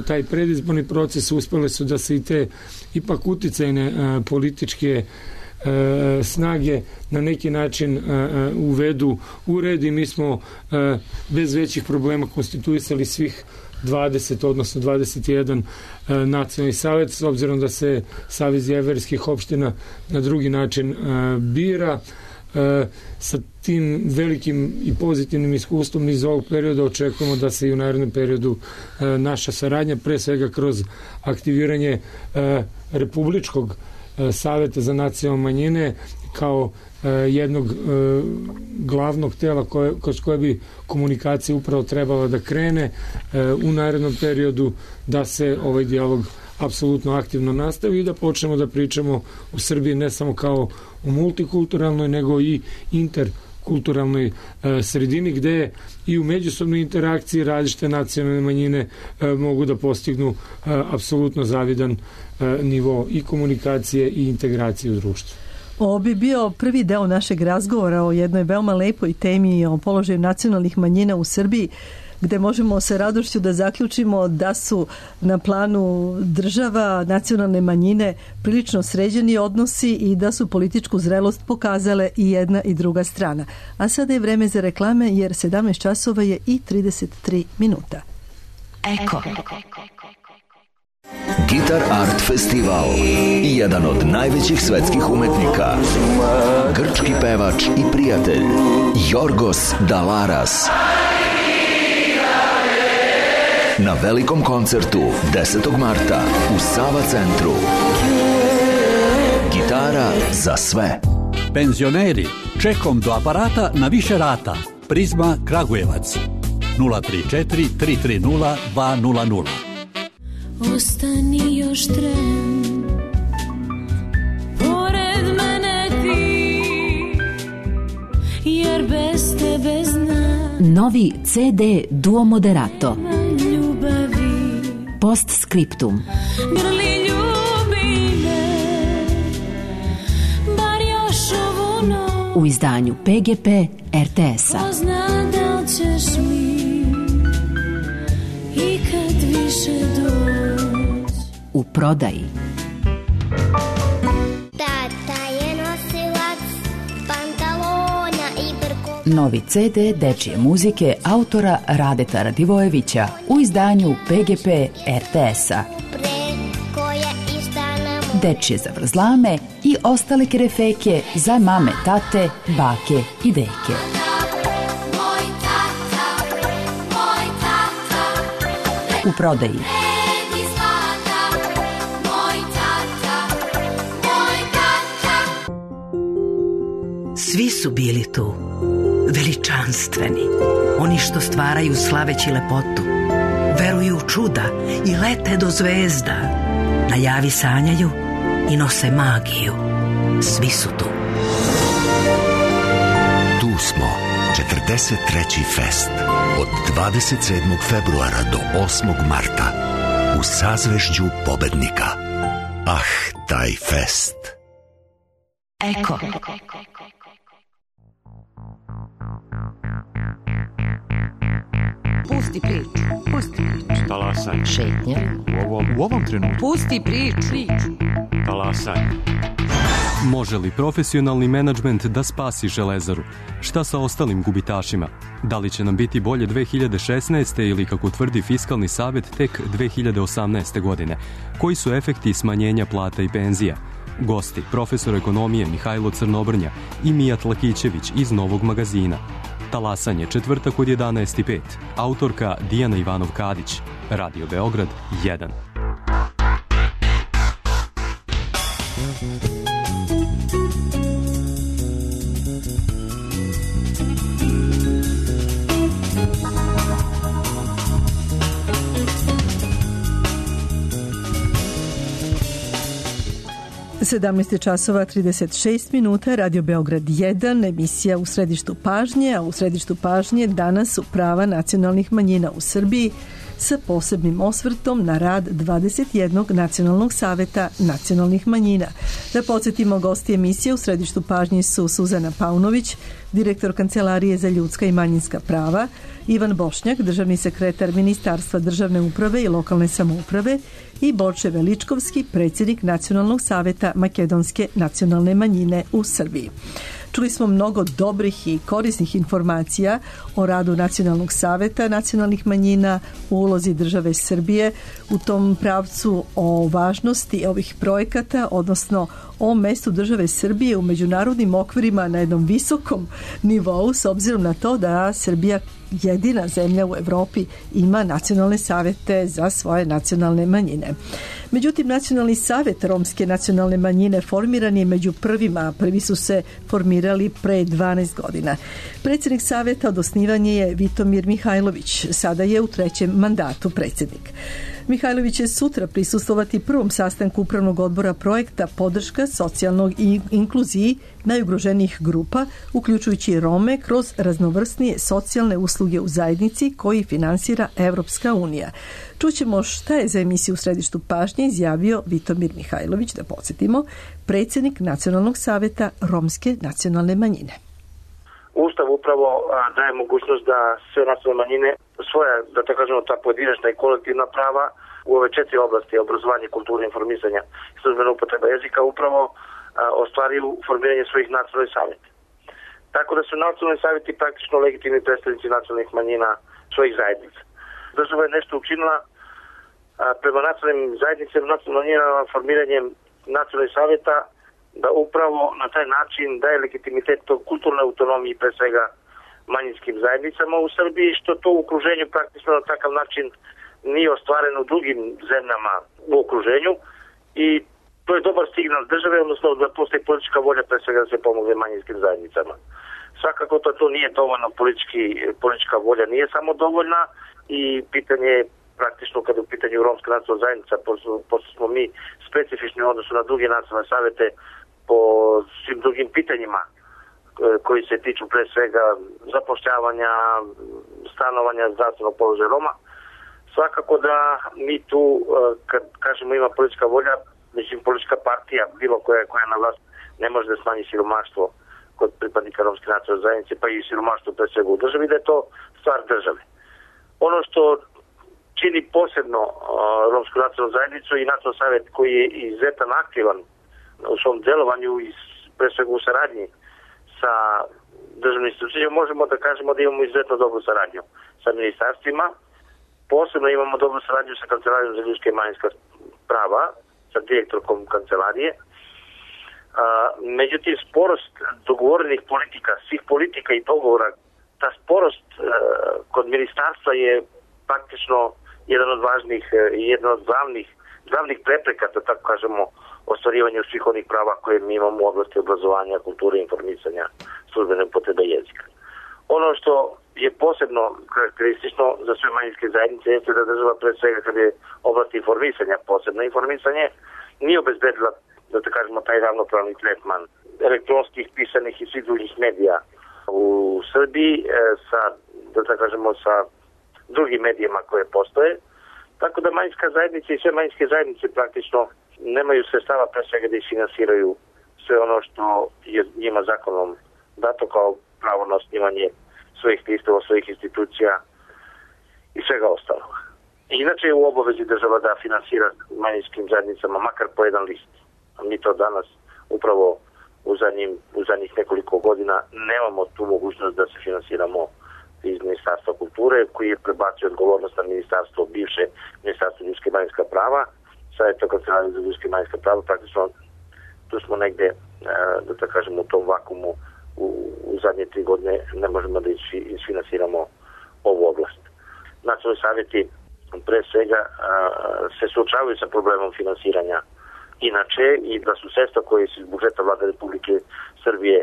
taj predizborni proces. Uspele su da se i te ipak uticajne političke snage na neki način uvedu u red i mi smo bez većih problema konstituisali svih dvadeset, odnosno dvadeset jedan e, nacionalni savet, s obzirom da se Savez jevrejskih opština na drugi način e, bira. E, sa tim velikim i pozitivnim iskustvom iz ovog perioda očekujemo da se i u narednom periodu e, naša saradnja, pre svega kroz aktiviranje e, Republičkog e, saveta za nacionalne manjine kao jednog e, glavnog tela koje, kroz koje bi komunikacija upravo trebala da krene e, u narednom periodu, da se ovaj dijalog apsolutno aktivno nastavi i da počnemo da pričamo u Srbiji ne samo kao u multikulturalnoj, nego i interkulturalnoj e, sredini gde i u međusobnoj interakciji različite nacionalne manjine e, mogu da postignu e, apsolutno zavidan e, nivo i komunikacije i integracije u društvu. Ovo bi bio prvi deo našeg razgovora o jednoj veoma lepoj temi o položaju nacionalnih manjina u Srbiji, gde možemo sa radošću da zaključimo da su na planu država nacionalne manjine prilično sređeni odnosi i da su političku zrelost pokazale i jedna i druga strana. A sada je vreme za reklame jer sedamnaest časova je i trideset tri minuta. Eko. Gitar Art Festival, jedan od najvećih svetskih umetnika, grčki pevač i prijatelj Jorgos Dalaras na velikom koncertu desetog marta u Sava centru. Gitara za sve. Penzioneri, čekom do aparata na više rata. Prizma Kragujevac nula tri četiri tri tri nula dva nula nula. Ostani još tren, pored mene ti, jer bez tebe znam. Novi ce de Duo Moderato. Ljubavi. Postscriptum. Grli ljubi me, bar još ovu noć. U izdanju pe ge pe er te es-a. Ko zna da li ćeš mi ikad više doći. U prodaji. Tata je nosilac pantalona i brko. Novi ce de dečije muzike autora Radeta Radivojevića u izdanju pe ge pe er te es-a. Dečije zavrzlame i ostale kerefeke za mame, tate, bake i deke. U prodaji. Svi su bili tu, veličanstveni, oni što stvaraju slaveći lepotu, veruju u čuda i lete do zvezda, na javi sanjaju i nose magiju. Svi su tu. Tu smo, četrdeset treći fest, od dvadeset sedmog februara do osmog marta, u sazvežđu pobednika. Ah, taj fest. Eko. Pusti priču, pusti priču. Talasaj. Šetnja. U ovom, u ovom trenutku. Pusti priču. Talasaj. Može li profesionalni menadžment da spasi Železaru? Šta sa ostalim gubitašima? Da li će nam biti bolje dve hiljade šesnaeste. ili, kako tvrdi Fiskalni savet, tek dve hiljade osamnaeste. godine? Koji su efekti smanjenja plata i penzija? Gosti, profesor ekonomije Mihajlo Crnobrnja i Mijat Lakićević iz Novog magazina. Talasanje, četvrtak od jedanaest i pet. Autorka Dijana Ivanov-Kadić. Radio Beograd jedan. sedamnaest časova trideset šest minuta, Radio Beograd jedan, emisija U središtu pažnje, a u središtu pažnje danas su prava nacionalnih manjina u Srbiji sa posebnim osvrtom na rad dvadeset jednog nacionalnog saveta nacionalnih manjina. Da podsjetimo, gosti emisije U središtu pažnje su Suzana Paunović, direktor Kancelarije za ljudska i manjinska prava, Ivan Bošnjak, državni sekretar Ministarstva državne uprave i lokalne samouprave i Borče Veličkovski, predsjednik Nacionalnog saveta makedonske nacionalne manjine u Srbiji. Čuli smo mnogo dobrih i korisnih informacija o radu Nacionalnog saveta nacionalnih manjina, u ulozi države Srbije u tom pravcu, o važnosti ovih projekata, odnosno o mestu države Srbije u međunarodnim okvirima na jednom visokom nivou, s obzirom na to da Srbija jedina zemlja u Evropi ima nacionalne savete za svoje nacionalne manjine. Međutim, Nacionalni savet romske nacionalne manjine formiran je među prvima, prvi su se formirali pre dvanaest godina. Predsjednik saveta od osnivanja je Vitomir Mihajlović, sada je u trećem mandatu predsjednik. Mihajlović će sutra prisustvovati prvom sastanku upravnog odbora projekta Podrška socijalnog i inkluziji najugroženijih grupa, uključujući Rome, kroz raznovrsnije socijalne usluge u zajednici koji finansira Evropska unija. Čućemo šta je za emisiju U središtu pažnje izjavio Vitomir Mihajlović, da podsjetimo, predsjednik Nacionalnog saveta Romske nacionalne manjine. Ustav upravo daje mogućnost da sve nacionalne manjine svoja, da tako kažemo, ta pojedinačna i kolektivna prava u ove četiri oblasti, obrazovanje, kulture, informisanja i službena upotreba jezika, upravo a, ostvariju formiranje svojih nacionalnih savjeta. Tako da su nacionalni savjeti praktično legitimni predstavnici nacionalnih manjina svojih zajednica. Država je nešto učinila a, prema nacionalnim zajednicama, nacionalnim manjinama, formiranjem nacionalnih savjeta, da upravo na taj način daje legitimitet tog kulturne autonomiji, pre svega manjinskim zajednicama u Srbiji, što to u okruženju praktično na takav način nije ostvareno u drugim zemljama u okruženju, i to je dobar signal države, odnosno da postoji politička volja pre svega da se pomogne manjinskim zajednicama. Svakako to, to nije dovoljno, politički, politička volja nije samo dovoljna, i pitanje je praktično kada je u pitanju romska nacionalna zajednica, pošto smo mi specifični u odnosu na druge nacionalne savjete po svim drugim pitanjima koji se tiču pre svega zapošljavanja, stanovanja, zdravstvenog položaja Roma. Svakako da mi tu, kad kažemo ima politička volja, mislim politička partija, bilo koja koja je na vlast, ne može da smanji siromaštvo kod pripadnika romske nacionalne zajednice, pa i siromaštvo pre svega u državi, da je to stvar države. Ono što čini posebno uh, romsku nacionalnu zajednicu i nacionalni savjet koji je izuzetan aktivan u svom delovanju i pre svega u saradnji sa državnim institucijama, možemo da kažemo da imamo izuzetno dobru saradnju sa ministarstvima. Posebno imamo dobru saradnju sa Kancelarijom za ljudska i manjinska prava, sa direktorkom kancelarije. A, međutim, sporost dogovorenih politika, svih politika i dogovora, ta sporost a, kod ministarstva je praktično jedan od važnih i jedan od glavnih, glavnih prepreka, da tako kažemo, ostvarivanju svih onih prava koje mi imamo u oblasti obrazovanja, kulture, informisanja, službene upotrebe jezika. Ono što je posebno karakteristično za sve manjinske zajednice jeste da država pre svega kad je oblast informisanja, posebno informisanje, nije obezbedila, da tako kažemo, taj ravnopravni tretman elektronskih, pisanih i svih drugih medija u Srbiji sa, da tako kažemo, sa drugim medijima koje postoje. Tako da manjinska zajednica i sve manjinske zajednice praktično nemaju sredstava pre svega da isfinansiraju sve ono što je njima zakonom dato kao pravo na osnivanje svojih listova, svojih institucija i svega ostalog. Inače je u obavezi država da finansira manjinskim zajednicama makar po jedan list. A mi to danas upravo u, zadnjim, u zadnjih nekoliko godina nemamo tu mogućnost da se finansiramo iz Ministarstva kulture, koji je prebacio odgovornost na ministarstvo, bivše Ministarstvo ljudske i manjinska prava. Sad je to Kancelarija za ljudske i manjinska prava. Praktično tu smo negde, da tako kažemo, u tom vakumu u, u zadnje tri godine ne možemo da isfinansiramo ovu oblast. Nacionalni savjeti pre svega se suočavaju sa problemom finansiranja inače, i da su sredstva koje su iz budžeta Vlade Republike Srbije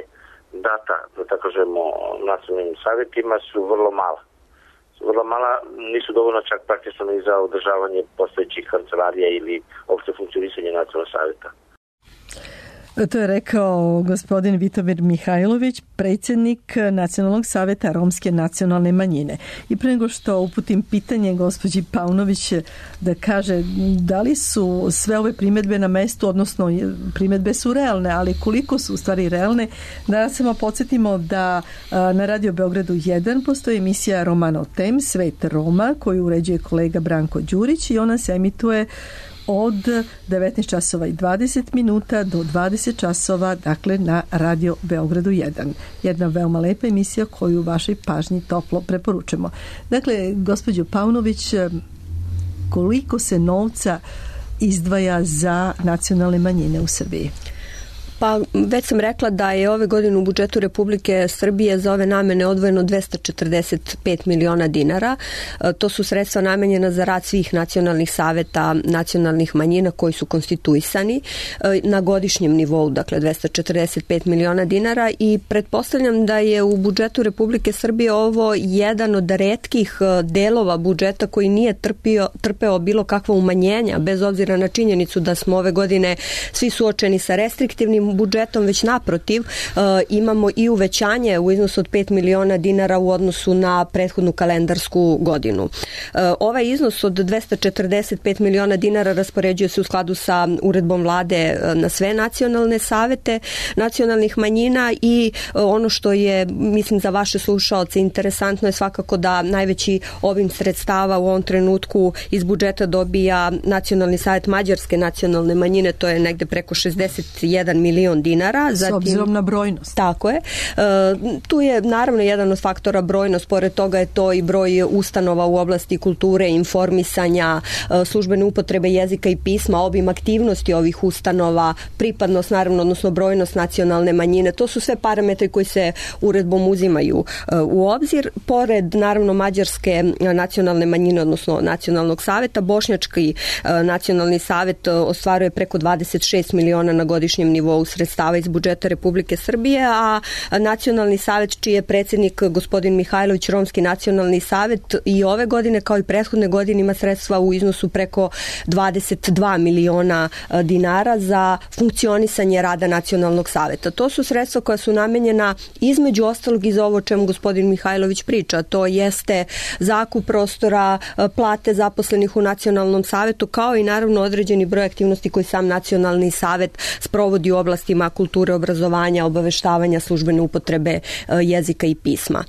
data, da tako kažemo, nacionalnim savjetima su vrlo mala. Su vrlo mala, nisu dovoljno čak praktično ni za održavanje postojećih kancelarija ili opšte funkcionisanje nacionalnog savjeta. To je rekao gospodin Vitomir Mihajlović, predsjednik Nacionalnog savjeta Romske nacionalne manjine. I pre nego što uputim pitanje gospođi Paunović da kaže da li su sve ove primjedbe na mestu, odnosno primjedbe su realne, ali koliko su u stvari realne, da samo podsjetimo da na Radio Beogradu jedan postoji emisija Romano Tem, Svet Roma, koju uređuje kolega Branko Đurić, i ona se emituje od devetnaest časova i dvadeset minuta do dvadeset časova, dakle na Radio Beogradu jedan. Jedna veoma lepa emisija koju vašoj pažnji toplo preporučujemo. Dakle, gospođo Paunović, koliko se novca izdvaja za nacionalne manjine u Srbiji? Pa već sam rekla da je ove godine u budžetu Republike Srbije za ove namene odvojeno dvesta četrdeset pet miliona dinara. To su sredstva namenjena za rad svih nacionalnih saveta nacionalnih manjina koji su konstituisani na godišnjem nivou, dakle dvesta četrdeset pet miliona dinara, i pretpostavljam da je u budžetu Republike Srbije ovo jedan od retkih delova budžeta koji nije trpio, trpeo bilo kakva umanjenja, bez obzira na činjenicu da smo ove godine svi suočeni sa restriktivnim ovim budžetom, već naprotiv imamo i uvećanje u iznosu od pet miliona dinara u odnosu na prethodnu kalendarsku godinu. Ovaj iznos od dvesta četrdeset pet miliona dinara raspoređuje se u skladu sa uredbom vlade na sve nacionalne savete nacionalnih manjina i ono što je, mislim, za vaše slušaoce interesantno je svakako da najveći obim sredstava u ovom trenutku iz budžeta dobija Nacionalni savet mađarske nacionalne manjine, to je negde preko šezdeset jedan milion dinara. Zatim, s obzirom na brojnost. Tako je. Tu je naravno jedan od faktora brojnost, pored toga je to i broj ustanova u oblasti kulture, informisanja, službene upotrebe jezika i pisma, obim aktivnosti ovih ustanova, pripadnost naravno, odnosno brojnost nacionalne manjine. To su sve parametri koji se uredbom uzimaju u obzir. Pored naravno mađarske nacionalne manjine, odnosno nacionalnog saveta, bošnjački nacionalni savet ostvaruje preko dvadeset šest miliona na godišnjem nivou sredstava iz budžeta Republike Srbije, a nacionalni savet čiji je predsjednik gospodin Mihajlović, romski nacionalni savet, i ove godine kao i prethodne godine ima sredstva u iznosu preko dvadeset dva miliona dinara za funkcionisanje rada nacionalnog saveta. To su sredstva koja su namenjena između ostalog i za ovo čemu gospodin Mihajlović priča. To jeste zakup prostora, plate zaposlenih u nacionalnom savetu, kao i naravno određeni broj aktivnosti koji sam nacionalni savet sprovodi u oblastima kulture, obrazovanja, obaveštavanja, službene upotrebe jezika i pisma.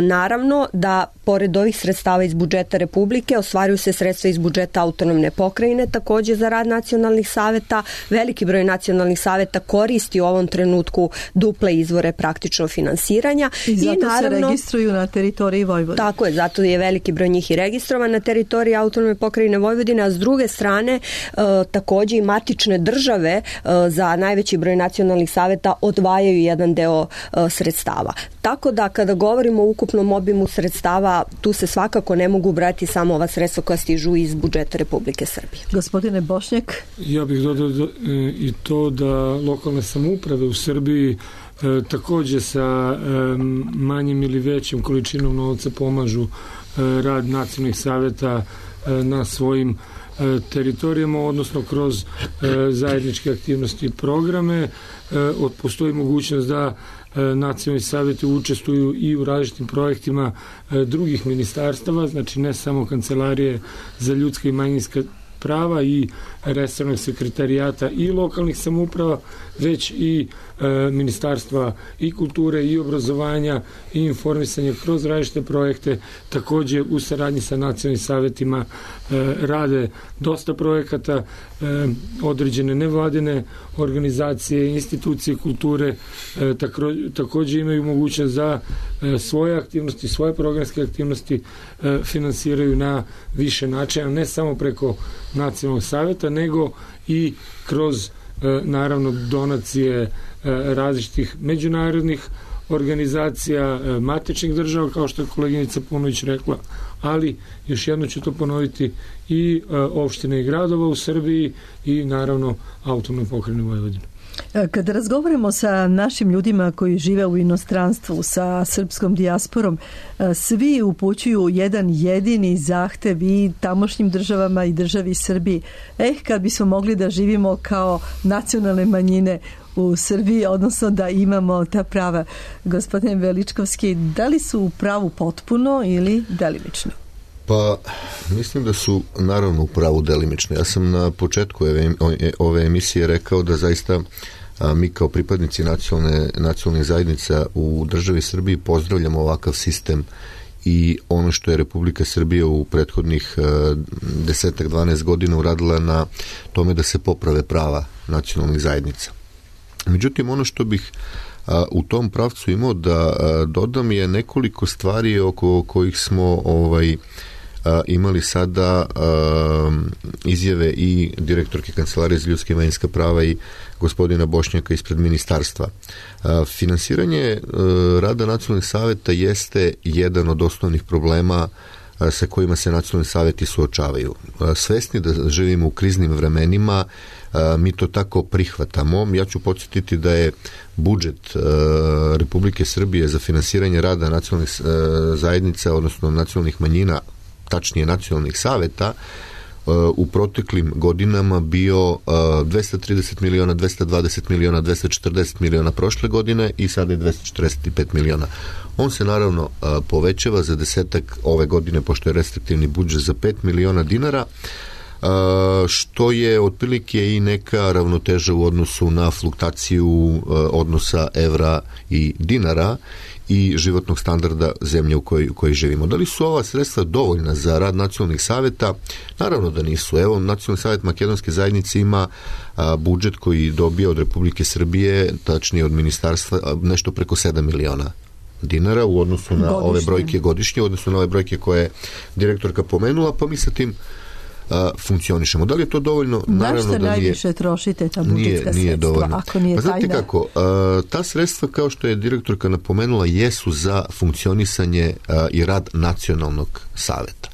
Naravno da pored ovih sredstava iz budžeta Republike ostvaruju se sredstva iz budžeta autonomne pokrajine takođe za rad nacionalnih saveta. Veliki broj nacionalnih saveta koristi u ovom trenutku duple izvore praktično finansiranja. I zato I naravno, se registruju na teritoriji Vojvodine. Tako je, zato je veliki broj njih i registrovan na teritoriji autonomne pokrajine Vojvodine, a s druge strane e, takođe i matične države e, za najveći broj nacionalnih saveta odvajaju jedan deo e, sredstava. Tako da kada govorimo o ukupnom obimu sredstava, tu se svakako ne mogu brati samo ova sredstva koja stižu iz budžeta Republike Srbije. Gospodine Bošnjak? Ja bih dodao i to da lokalne samouprave u Srbiji e, takođe sa e, manjim ili većim količinom novca pomažu e, rad nacionalnih saveta e, na svojim e, teritorijama, odnosno kroz e, zajedničke aktivnosti i programe. E, postoji mogućnost da nacionalni savjeti učestvuju i u različitim projektima drugih ministarstava, znači ne samo Kancelarije za ljudska i manjinska prava i resornog sekretarijata i lokalnih samouprava, već i e, ministarstva i kulture i obrazovanja i informisanja kroz različite projekte. Takođe u saradnji sa nacionalnim savjetima e, rade dosta projekata, e, određene nevladine organizacije, institucije kulture e, tako, takođe imaju mogućnost da e, svoje aktivnosti, svoje programske aktivnosti e, finansiraju na više načina, ne samo preko nacionalnog savjeta, nego i kroz naravno donacije različitih međunarodnih organizacija, matičnih država, kao što je koleginica Punović rekla, ali još jedno ću to ponoviti, i opštine i gradova u Srbiji i naravno autonomne pokrajine Vojvodine. Kada razgovaramo sa našim ljudima koji žive u inostranstvu, sa srpskom dijasporom, svi upućuju jedan jedini zahtev i tamošnjim državama i državi Srbiji. Eh, kad bismo mogli da živimo kao nacionalne manjine u Srbiji, odnosno da imamo ta prava. Gospodine Veličkovski, da li su u pravu potpuno ili delimično? Pa, mislim da su naravno u pravu delimično. Ja sam na početku ove, ove emisije rekao da zaista a, mi kao pripadnici nacionalne, nacionalnih zajednica u državi Srbiji pozdravljamo ovakav sistem i ono što je Republika Srbija u prethodnih desetak dvanaest godina uradila na tome da se poprave prava nacionalnih zajednica. Međutim, ono što bih a, u tom pravcu imao da a, dodam je nekoliko stvari oko kojih smo ovaj a, imali sada a, izjave i direktorke Kancelarije za ljudska i manjinska prava i gospodina Bošnjaka ispred ministarstva. A, finansiranje a, rada nacionalnih saveta jeste jedan od osnovnih problema a, sa kojima se nacionalni saveti suočavaju. A, svesni da živimo u kriznim vremenima, mi to tako prihvatamo. Ja ću podsjetiti da je budžet Republike Srbije za finansiranje rada nacionalnih zajednica, odnosno nacionalnih manjina, tačnije nacionalnih saveta, u proteklim godinama bio dvesta trideset miliona, dvesta dvadeset miliona, dvesta četrdeset miliona prošle godine i sada je dvesta četrdeset pet miliona. On se naravno povećava za desetak ove godine, pošto je restriktivni budžet, za pet miliona dinara, što je otprilike i neka ravnoteža u odnosu na fluktaciju odnosa evra i dinara i životnog standarda zemlje u kojoj, u kojoj živimo. Da li su ova sredstva dovoljna za rad nacionalnih saveta? Naravno da nisu. Evo, Nacionalni savet Makedonske zajednice ima a, budžet koji dobija od Republike Srbije, tačnije od ministarstva, a, nešto preko sedam miliona dinara u odnosu na godišnje. Ove brojke godišnje, u odnosu na ove brojke koje je direktorka pomenula, pa mi sa tim a, funkcionišemo. Da li je to dovoljno? Na što najviše trošite ta budžetska nije, sredstva, ako nije pa tajna? Znate kako, a, ta sredstva, kao što je direktorka napomenula, jesu za funkcionisanje a, i rad nacionalnog saveta.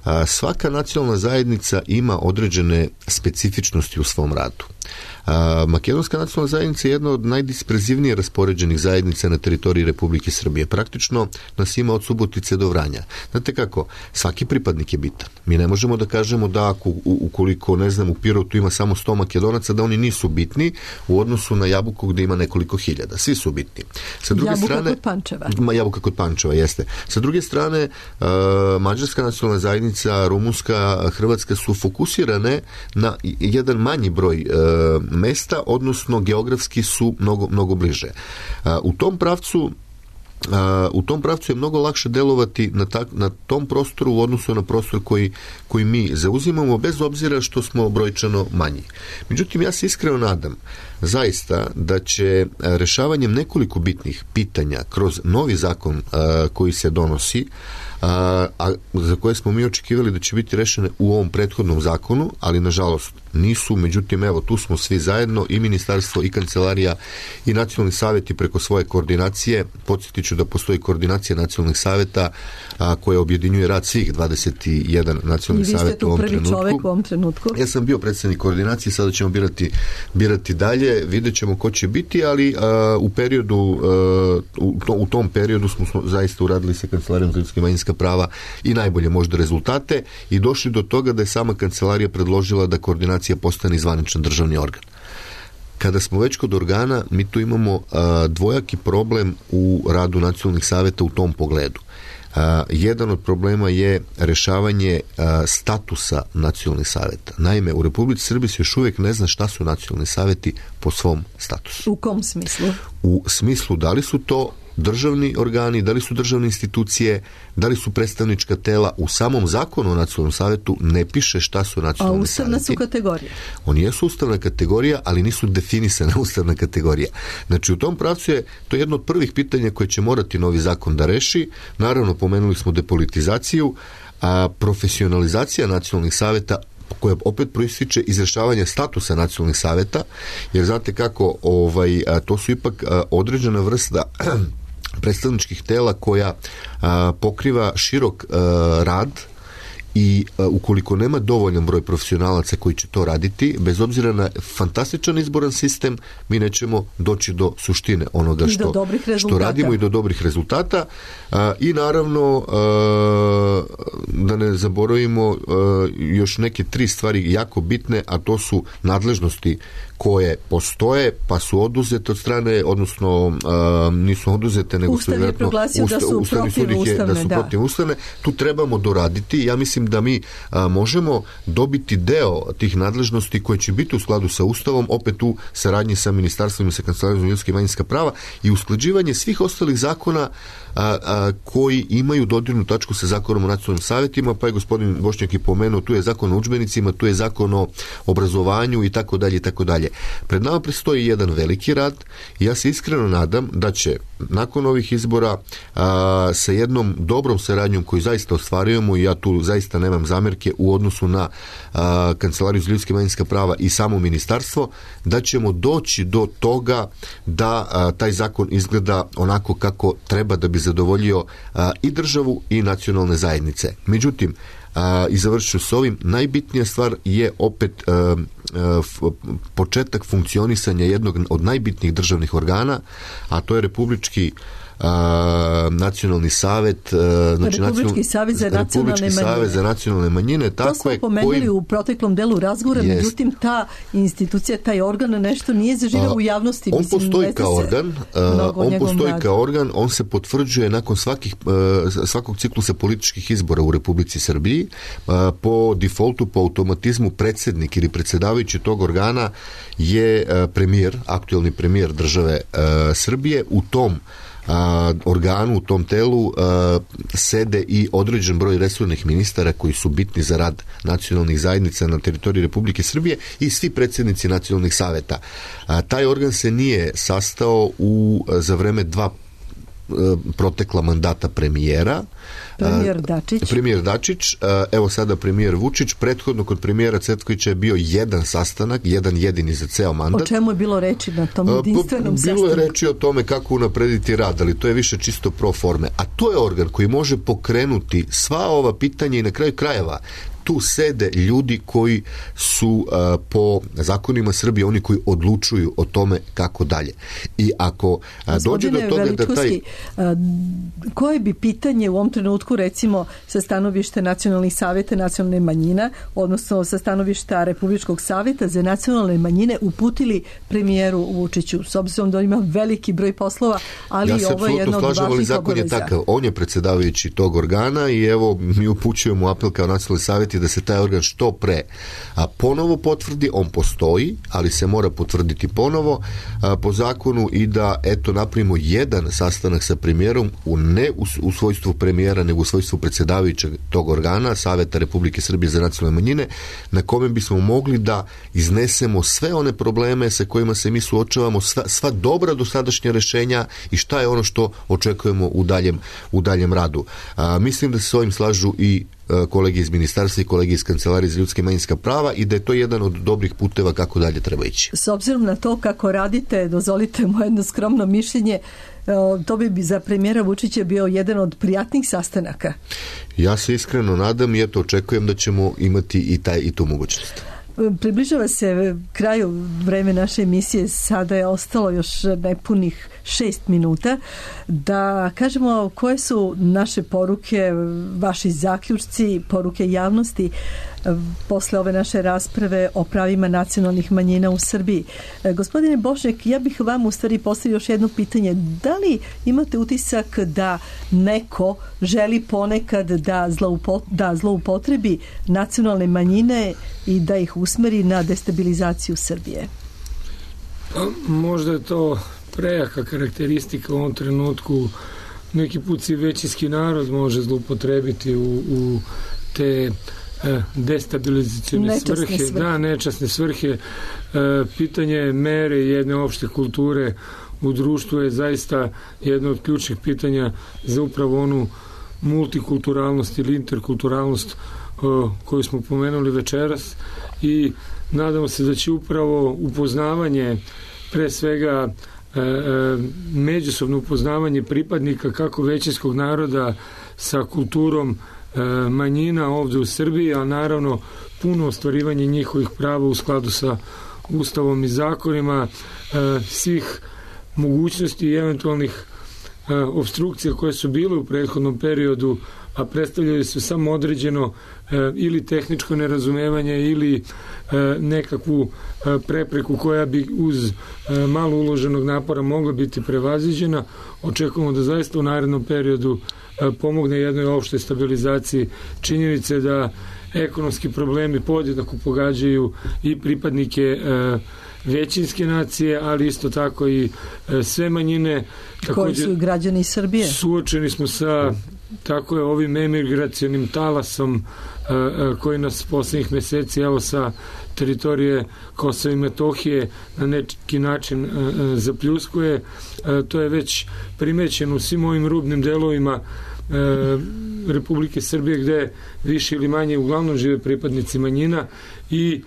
A, svaka nacionalna zajednica ima određene specifičnosti u svom radu. A, Makedonska nacionalna zajednica je jedna od najdisperzivnije raspoređenih zajednica na teritoriji Republike Srbije. Praktično nas ima od Subotice do Vranja. Znate kako, svaki pripadnik je bitan. Mi ne možemo da kažemo da ako, ukoliko, ne znam, u Pirotu ima samo sto Makedonaca, da oni nisu bitni u odnosu na Jabuku gde ima nekoliko hiljada. Svi su bitni. Sa druge Jabuka strane, kod Pančeva. Ma, Jabuka kod Pančeva, jeste. Sa druge strane, uh, Mađarska nacionalna zajednica, Rumunska, Hrvatska su fokusirane na jedan manji broj uh, mesta, odnosno geografski su mnogo, mnogo bliže. U tom pravcu u tom pravcu je mnogo lakše delovati na, ta, na tom prostoru u odnosu na prostor koji, koji mi zauzimamo, bez obzira što smo brojčano manji. Međutim, ja se iskreno nadam zaista da će rešavanjem nekoliko bitnih pitanja kroz novi zakon a, koji se donosi, a, a za koje smo mi očekivali da će biti rešene u ovom prethodnom zakonu, ali nažalost nisu. Međutim, evo, tu smo svi zajedno, i ministarstvo, i kancelarija, i nacionalni savjeti preko svoje koordinacije. Podsjetit ću da postoji koordinacija nacionalnih savjeta a, koja objedinjuje rad svih dvadeset jedan nacionalnih savjeta u ovom trenutku. I vi ste tu prvi čovek u ovom trenutku. Ja sam bio predsednik koordinacije, sada ćemo birati, birati dalje, vidjet ćemo ko će biti, ali a, u periodu a, u, to, u tom periodu smo, smo zaista uradili sa Kancelarijom za ljudska i manjinska prava i najbolje možda rezultate i došli do toga da je sama kancelarija predložila da koordinacija postane zvaničan državni organ. Kada smo već kod organa, mi tu imamo a, dvojaki problem u radu nacionalnih saveta u tom pogledu. A, jedan od problema je rešavanje a, statusa nacionalnih saveta. Naime, u Republici Srbiji se još uvijek ne zna šta su nacionalni saveti po svom statusu. U kom smislu? U smislu da li su to državni organi, da li su državne institucije, da li su predstavnička tela. U samom zakonu o nacionalnom savetu ne piše šta su nacionalni saveti. A ustavna su kategorija? Oni jesu ustavna kategorija, ali nisu definisana ustavna kategorija. Znači, u tom pravcu je to jedno od prvih pitanja koje će morati novi zakon da reši. Naravno, pomenuli smo depolitizaciju, a profesionalizacija nacionalnih saveta, koja opet proističe iz rešavanja statusa nacionalnih saveta, jer znate kako, ovaj, a, to su ipak a, određena vrsta predstavničkih tela koja a, pokriva širok a, rad i a, ukoliko nema dovoljan broj profesionalaca koji će to raditi, bez obzira na fantastičan izboran sistem, mi nećemo doći do suštine onoga što, što radimo i do dobrih rezultata. A, i naravno a, da ne zaboravimo a, još neke tri stvari jako bitne, a to su nadležnosti koje postoje, pa su oduzete od strane, odnosno a, nisu oduzete, nego Ustav su je proglasio da su protivustavne, da su protivustavne. Tu trebamo doraditi. Ja mislim da mi a, možemo dobiti deo tih nadležnosti koje će biti u skladu sa Ustavom, opet u saradnji sa ministarstvom i sa Kancelarijom za ljudska i manjinska prava, i usklađivanje svih ostalih zakona a, a, koji imaju dodirnu tačku sa zakonom o nacionalnim savjetima, pa je gospodin Bošnjak i pomenuo, tu je zakon o udžbenicima, tu je zakon o obrazovanju i tako dalje i tako dalje. Pred nama predstoji jedan veliki rad i ja se iskreno nadam da će nakon ovih izbora a, sa jednom dobrom saradnjom koju zaista ostvarujemo, i ja tu zaista nemam zamerke u odnosu na a, Kancelariju za ljudska i manjinska prava i samo ministarstvo, da ćemo doći do toga da a, taj zakon izgleda onako kako treba da bi zadovoljio a, i državu i nacionalne zajednice. Međutim, a, i završću s ovim, najbitnija stvar je opet a, a, f, početak funkcionisanja jednog od najbitnijih državnih organa, a to je Republički a, nacionalni savet, a, znači Republički savez za nacionalne manjine. Savez za nacionalne manjine, tako to smo je, pomenuli koji... u proteklom delu razgovora, Jest. Međutim ta institucija, taj organ nešto nije zaživio u javnosti. On Mislim, postoji kao organ, on postoji radu. kao organ, on se potvrđuje nakon svakih, svakog ciklusa političkih izbora u Republici Srbiji. Po defaultu, po automatizmu predsjednik ili predsjedavajući tog organa je premijer, aktuelni premijer države Srbije. U tom a, organu, u tom telu a, sede i određen broj resornih ministara koji su bitni za rad nacionalnih zajednica na teritoriji Republike Srbije i svi predsjednici nacionalnih saveta. A, taj organ se nije sastao u, za vreme dva protekla mandata premijera. Premijer Dačić. Premijer Dačić, evo sada premijer Vučić. Prethodno kod premijera Cvetkovića je bio jedan sastanak, jedan jedini za ceo mandat. O čemu je bilo reči na tom jedinstvenom sastanku? Bilo je reči o tome kako unaprediti rad, ali to je više čisto pro forme. A to je organ koji može pokrenuti sva ova pitanja i na kraju krajeva tu sede ljudi koji su uh, po zakonima Srbije oni koji odlučuju o tome kako dalje. I ako uh, dođe do toga da taj... Uh, koje bi pitanje u ovom trenutku recimo sa stanovišta nacionalnih savjeta nacionalne manjina, odnosno sa stanovišta Republičkog savjeta za nacionalne manjine uputili premijeru Vučiću, s obzirom da ima veliki broj poslova, ali ja ovo je jedno od važnih obaveza. Zakon je takav. On je predsjedavajući tog organa i evo mi upućujemo apel kao nacionalni savjet da se taj organ što pre a ponovo potvrdi. On postoji, ali se mora potvrditi ponovo a, po zakonu i da eto napravimo jedan sastanak sa premijerom u ne u, u svojstvu premijera, nego u svojstvu predsjedavajućeg tog organa Saveta Republike Srbije za nacionalne manjine, na kome bismo mogli da iznesemo sve one probleme sa kojima se mi suočavamo, sva, sva dobra dosadašnja rešenja i šta je ono što očekujemo u daljem, u daljem radu. A, mislim da se s ovim slažu i kolege iz ministarstva i kolege iz Kancelarije za ljudska i manjinska prava i da je to jedan od dobrih puteva kako dalje treba ići. S obzirom na to kako radite, dozvolite mu jedno skromno mišljenje, to bi za premijera Vučića bio jedan od prijatnih sastanaka. Ja se iskreno nadam i eto očekujem da ćemo imati i, taj, i tu mogućnost. Približava se kraju vreme naše emisije, sada je ostalo još nepunih šest minuta, da kažemo koje su naše poruke, vaši zaključci, poruke javnosti posle ove naše rasprave o pravima nacionalnih manjina u Srbiji. Gospodine Bošnjak, ja bih vam u stvari postavio još jedno pitanje. Da li imate utisak da neko želi ponekad da, zloupo, da zloupotrebi nacionalne manjine i da ih usmeri na destabilizaciju Srbije? Pa, možda je to prejaka karakteristika u ovom trenutku. Neki put si većinski narod može zloupotrebiti u, u te destabilizacione svrhe, svrhe, da, nečasne svrhe. E, pitanje mere jedne opšte kulture u društvu je zaista jedno od ključnih pitanja za upravo onu multikulturalnost ili interkulturalnost o, koju smo pomenuli večeras i nadamo se da će upravo upoznavanje, pre svega e, e, međusobno upoznavanje pripadnika kako većinskog naroda sa kulturom manjina ovdje u Srbiji, a naravno puno ostvarivanje njihovih prava u skladu sa Ustavom i zakonima, svih mogućnosti i eventualnih obstrukcija koje su bile u prethodnom periodu, a predstavljaju se samo određeno ili tehničko nerazumevanje ili nekakvu prepreku koja bi uz malo uloženog napora mogla biti prevaziđena. Očekujemo da zaista u narednom periodu pomogne jednoj opštoj stabilizaciji. Činjenice da ekonomski problemi podjednako pogađaju i pripadnike većinske nacije, ali isto tako i sve manjine. Koji su građani Srbije? Suočeni smo sa tako je ovim emigracionim talasom koji nas poslednjih meseci evo sa teritorije Kosova i Metohije na neki način zapljuskuje. To je već primećeno u svim ovim rubnim delovima Republike Srbije gde više ili manje uglavnom žive pripadnici manjina i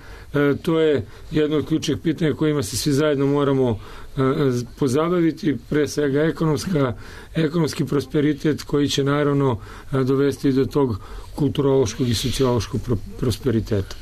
to je jedno od ključnih pitanja kojima se svi zajedno moramo pozabaviti, pre svega ekonomska, ekonomski prosperitet koji će naravno dovesti do tog kulturološkog i sociološkog prosperiteta.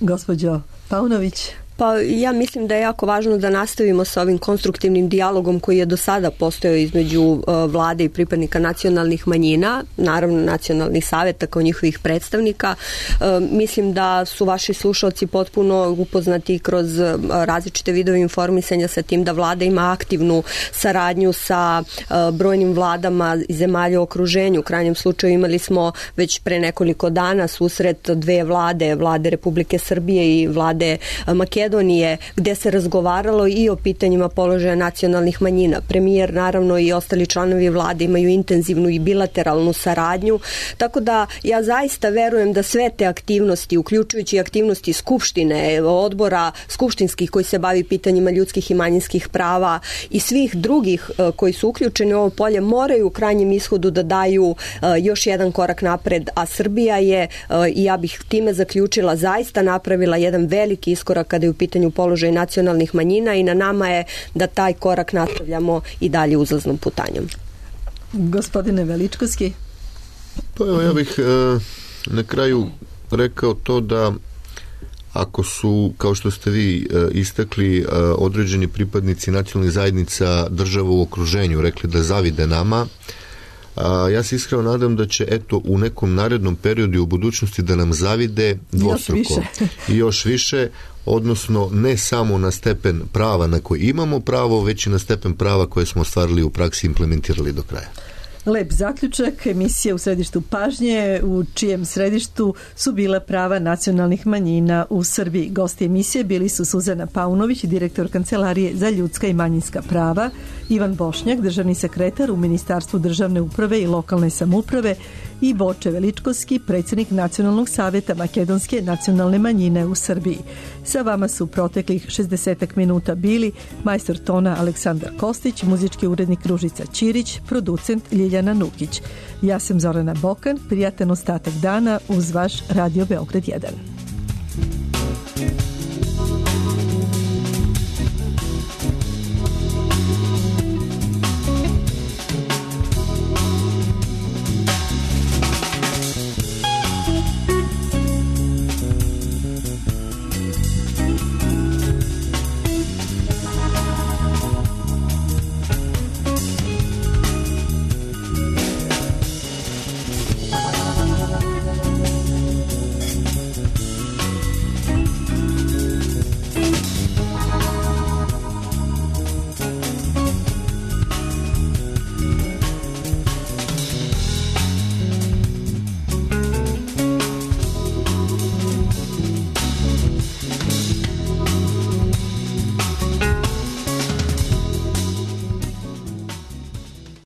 Gospođo Paunović. Pa ja mislim da je jako važno da nastavimo sa ovim konstruktivnim dijalogom koji je do sada postojao između uh, vlade i pripadnika nacionalnih manjina, naravno nacionalnih saveta kao njihovih predstavnika. Uh, mislim da su vaši slušalci potpuno upoznati kroz uh, različite vidove informisanja sa tim da vlada ima aktivnu saradnju sa uh, brojnim vladama zemalja u okruženju. U krajnjem slučaju imali smo već pre nekoliko dana susret dve vlade, vlade Republike Srbije i vlade Makedonije, gde se razgovaralo i o pitanjima položaja nacionalnih manjina. Premijer, naravno, i ostali članovi vlade imaju intenzivnu i bilateralnu saradnju, tako da ja zaista verujem da sve te aktivnosti, uključujući aktivnosti Skupštine, odbora skupštinskih koji se bavi pitanjima ljudskih i manjinskih prava i svih drugih koji su uključeni u ovo polje, moraju u krajnjem ishodu da daju još jedan korak napred, a Srbija je, i ja bih time zaključila, zaista napravila jedan veliki iskorak kada je u pitanju položaj nacionalnih manjina i na nama je da taj korak nastavljamo i dalje uzlaznom putanjom. Gospodine Veličkovski? Pa evo, ja bih e, na kraju rekao to da ako su, kao što ste vi e, istakli, e, određeni pripadnici nacionalnih zajednica država u okruženju rekli da zavide nama, a, ja se iskreno nadam da će eto u nekom narednom periodu i u budućnosti da nam zavide dvostruko. Još više. I još više, odnosno ne samo na stepen prava na koji imamo pravo, već i na stepen prava koje smo ostvarili u praksi i implementirali do kraja. Lep zaključak emisije U središtu pažnje, u čijem središtu su bila prava nacionalnih manjina u Srbiji. Gosti emisije bili su Suzana Paunović, direktor Kancelarije za ljudska i manjinska prava, Ivan Bošnjak, državni sekretar u Ministarstvu državne uprave i lokalne samouprave, i Boče Veličkovski, predsjednik Nacionalnog savjeta makedonske nacionalne manjine u Srbiji. Sa vama su proteklih šezdeset minuta bili majstor tona Aleksandar Kostić, muzički urednik Ružica Ćirić, producent Ljiljana Nukić. Ja sam Zorana Bokan, prijatan ostatak dana uz vaš Radio Beograd jedan.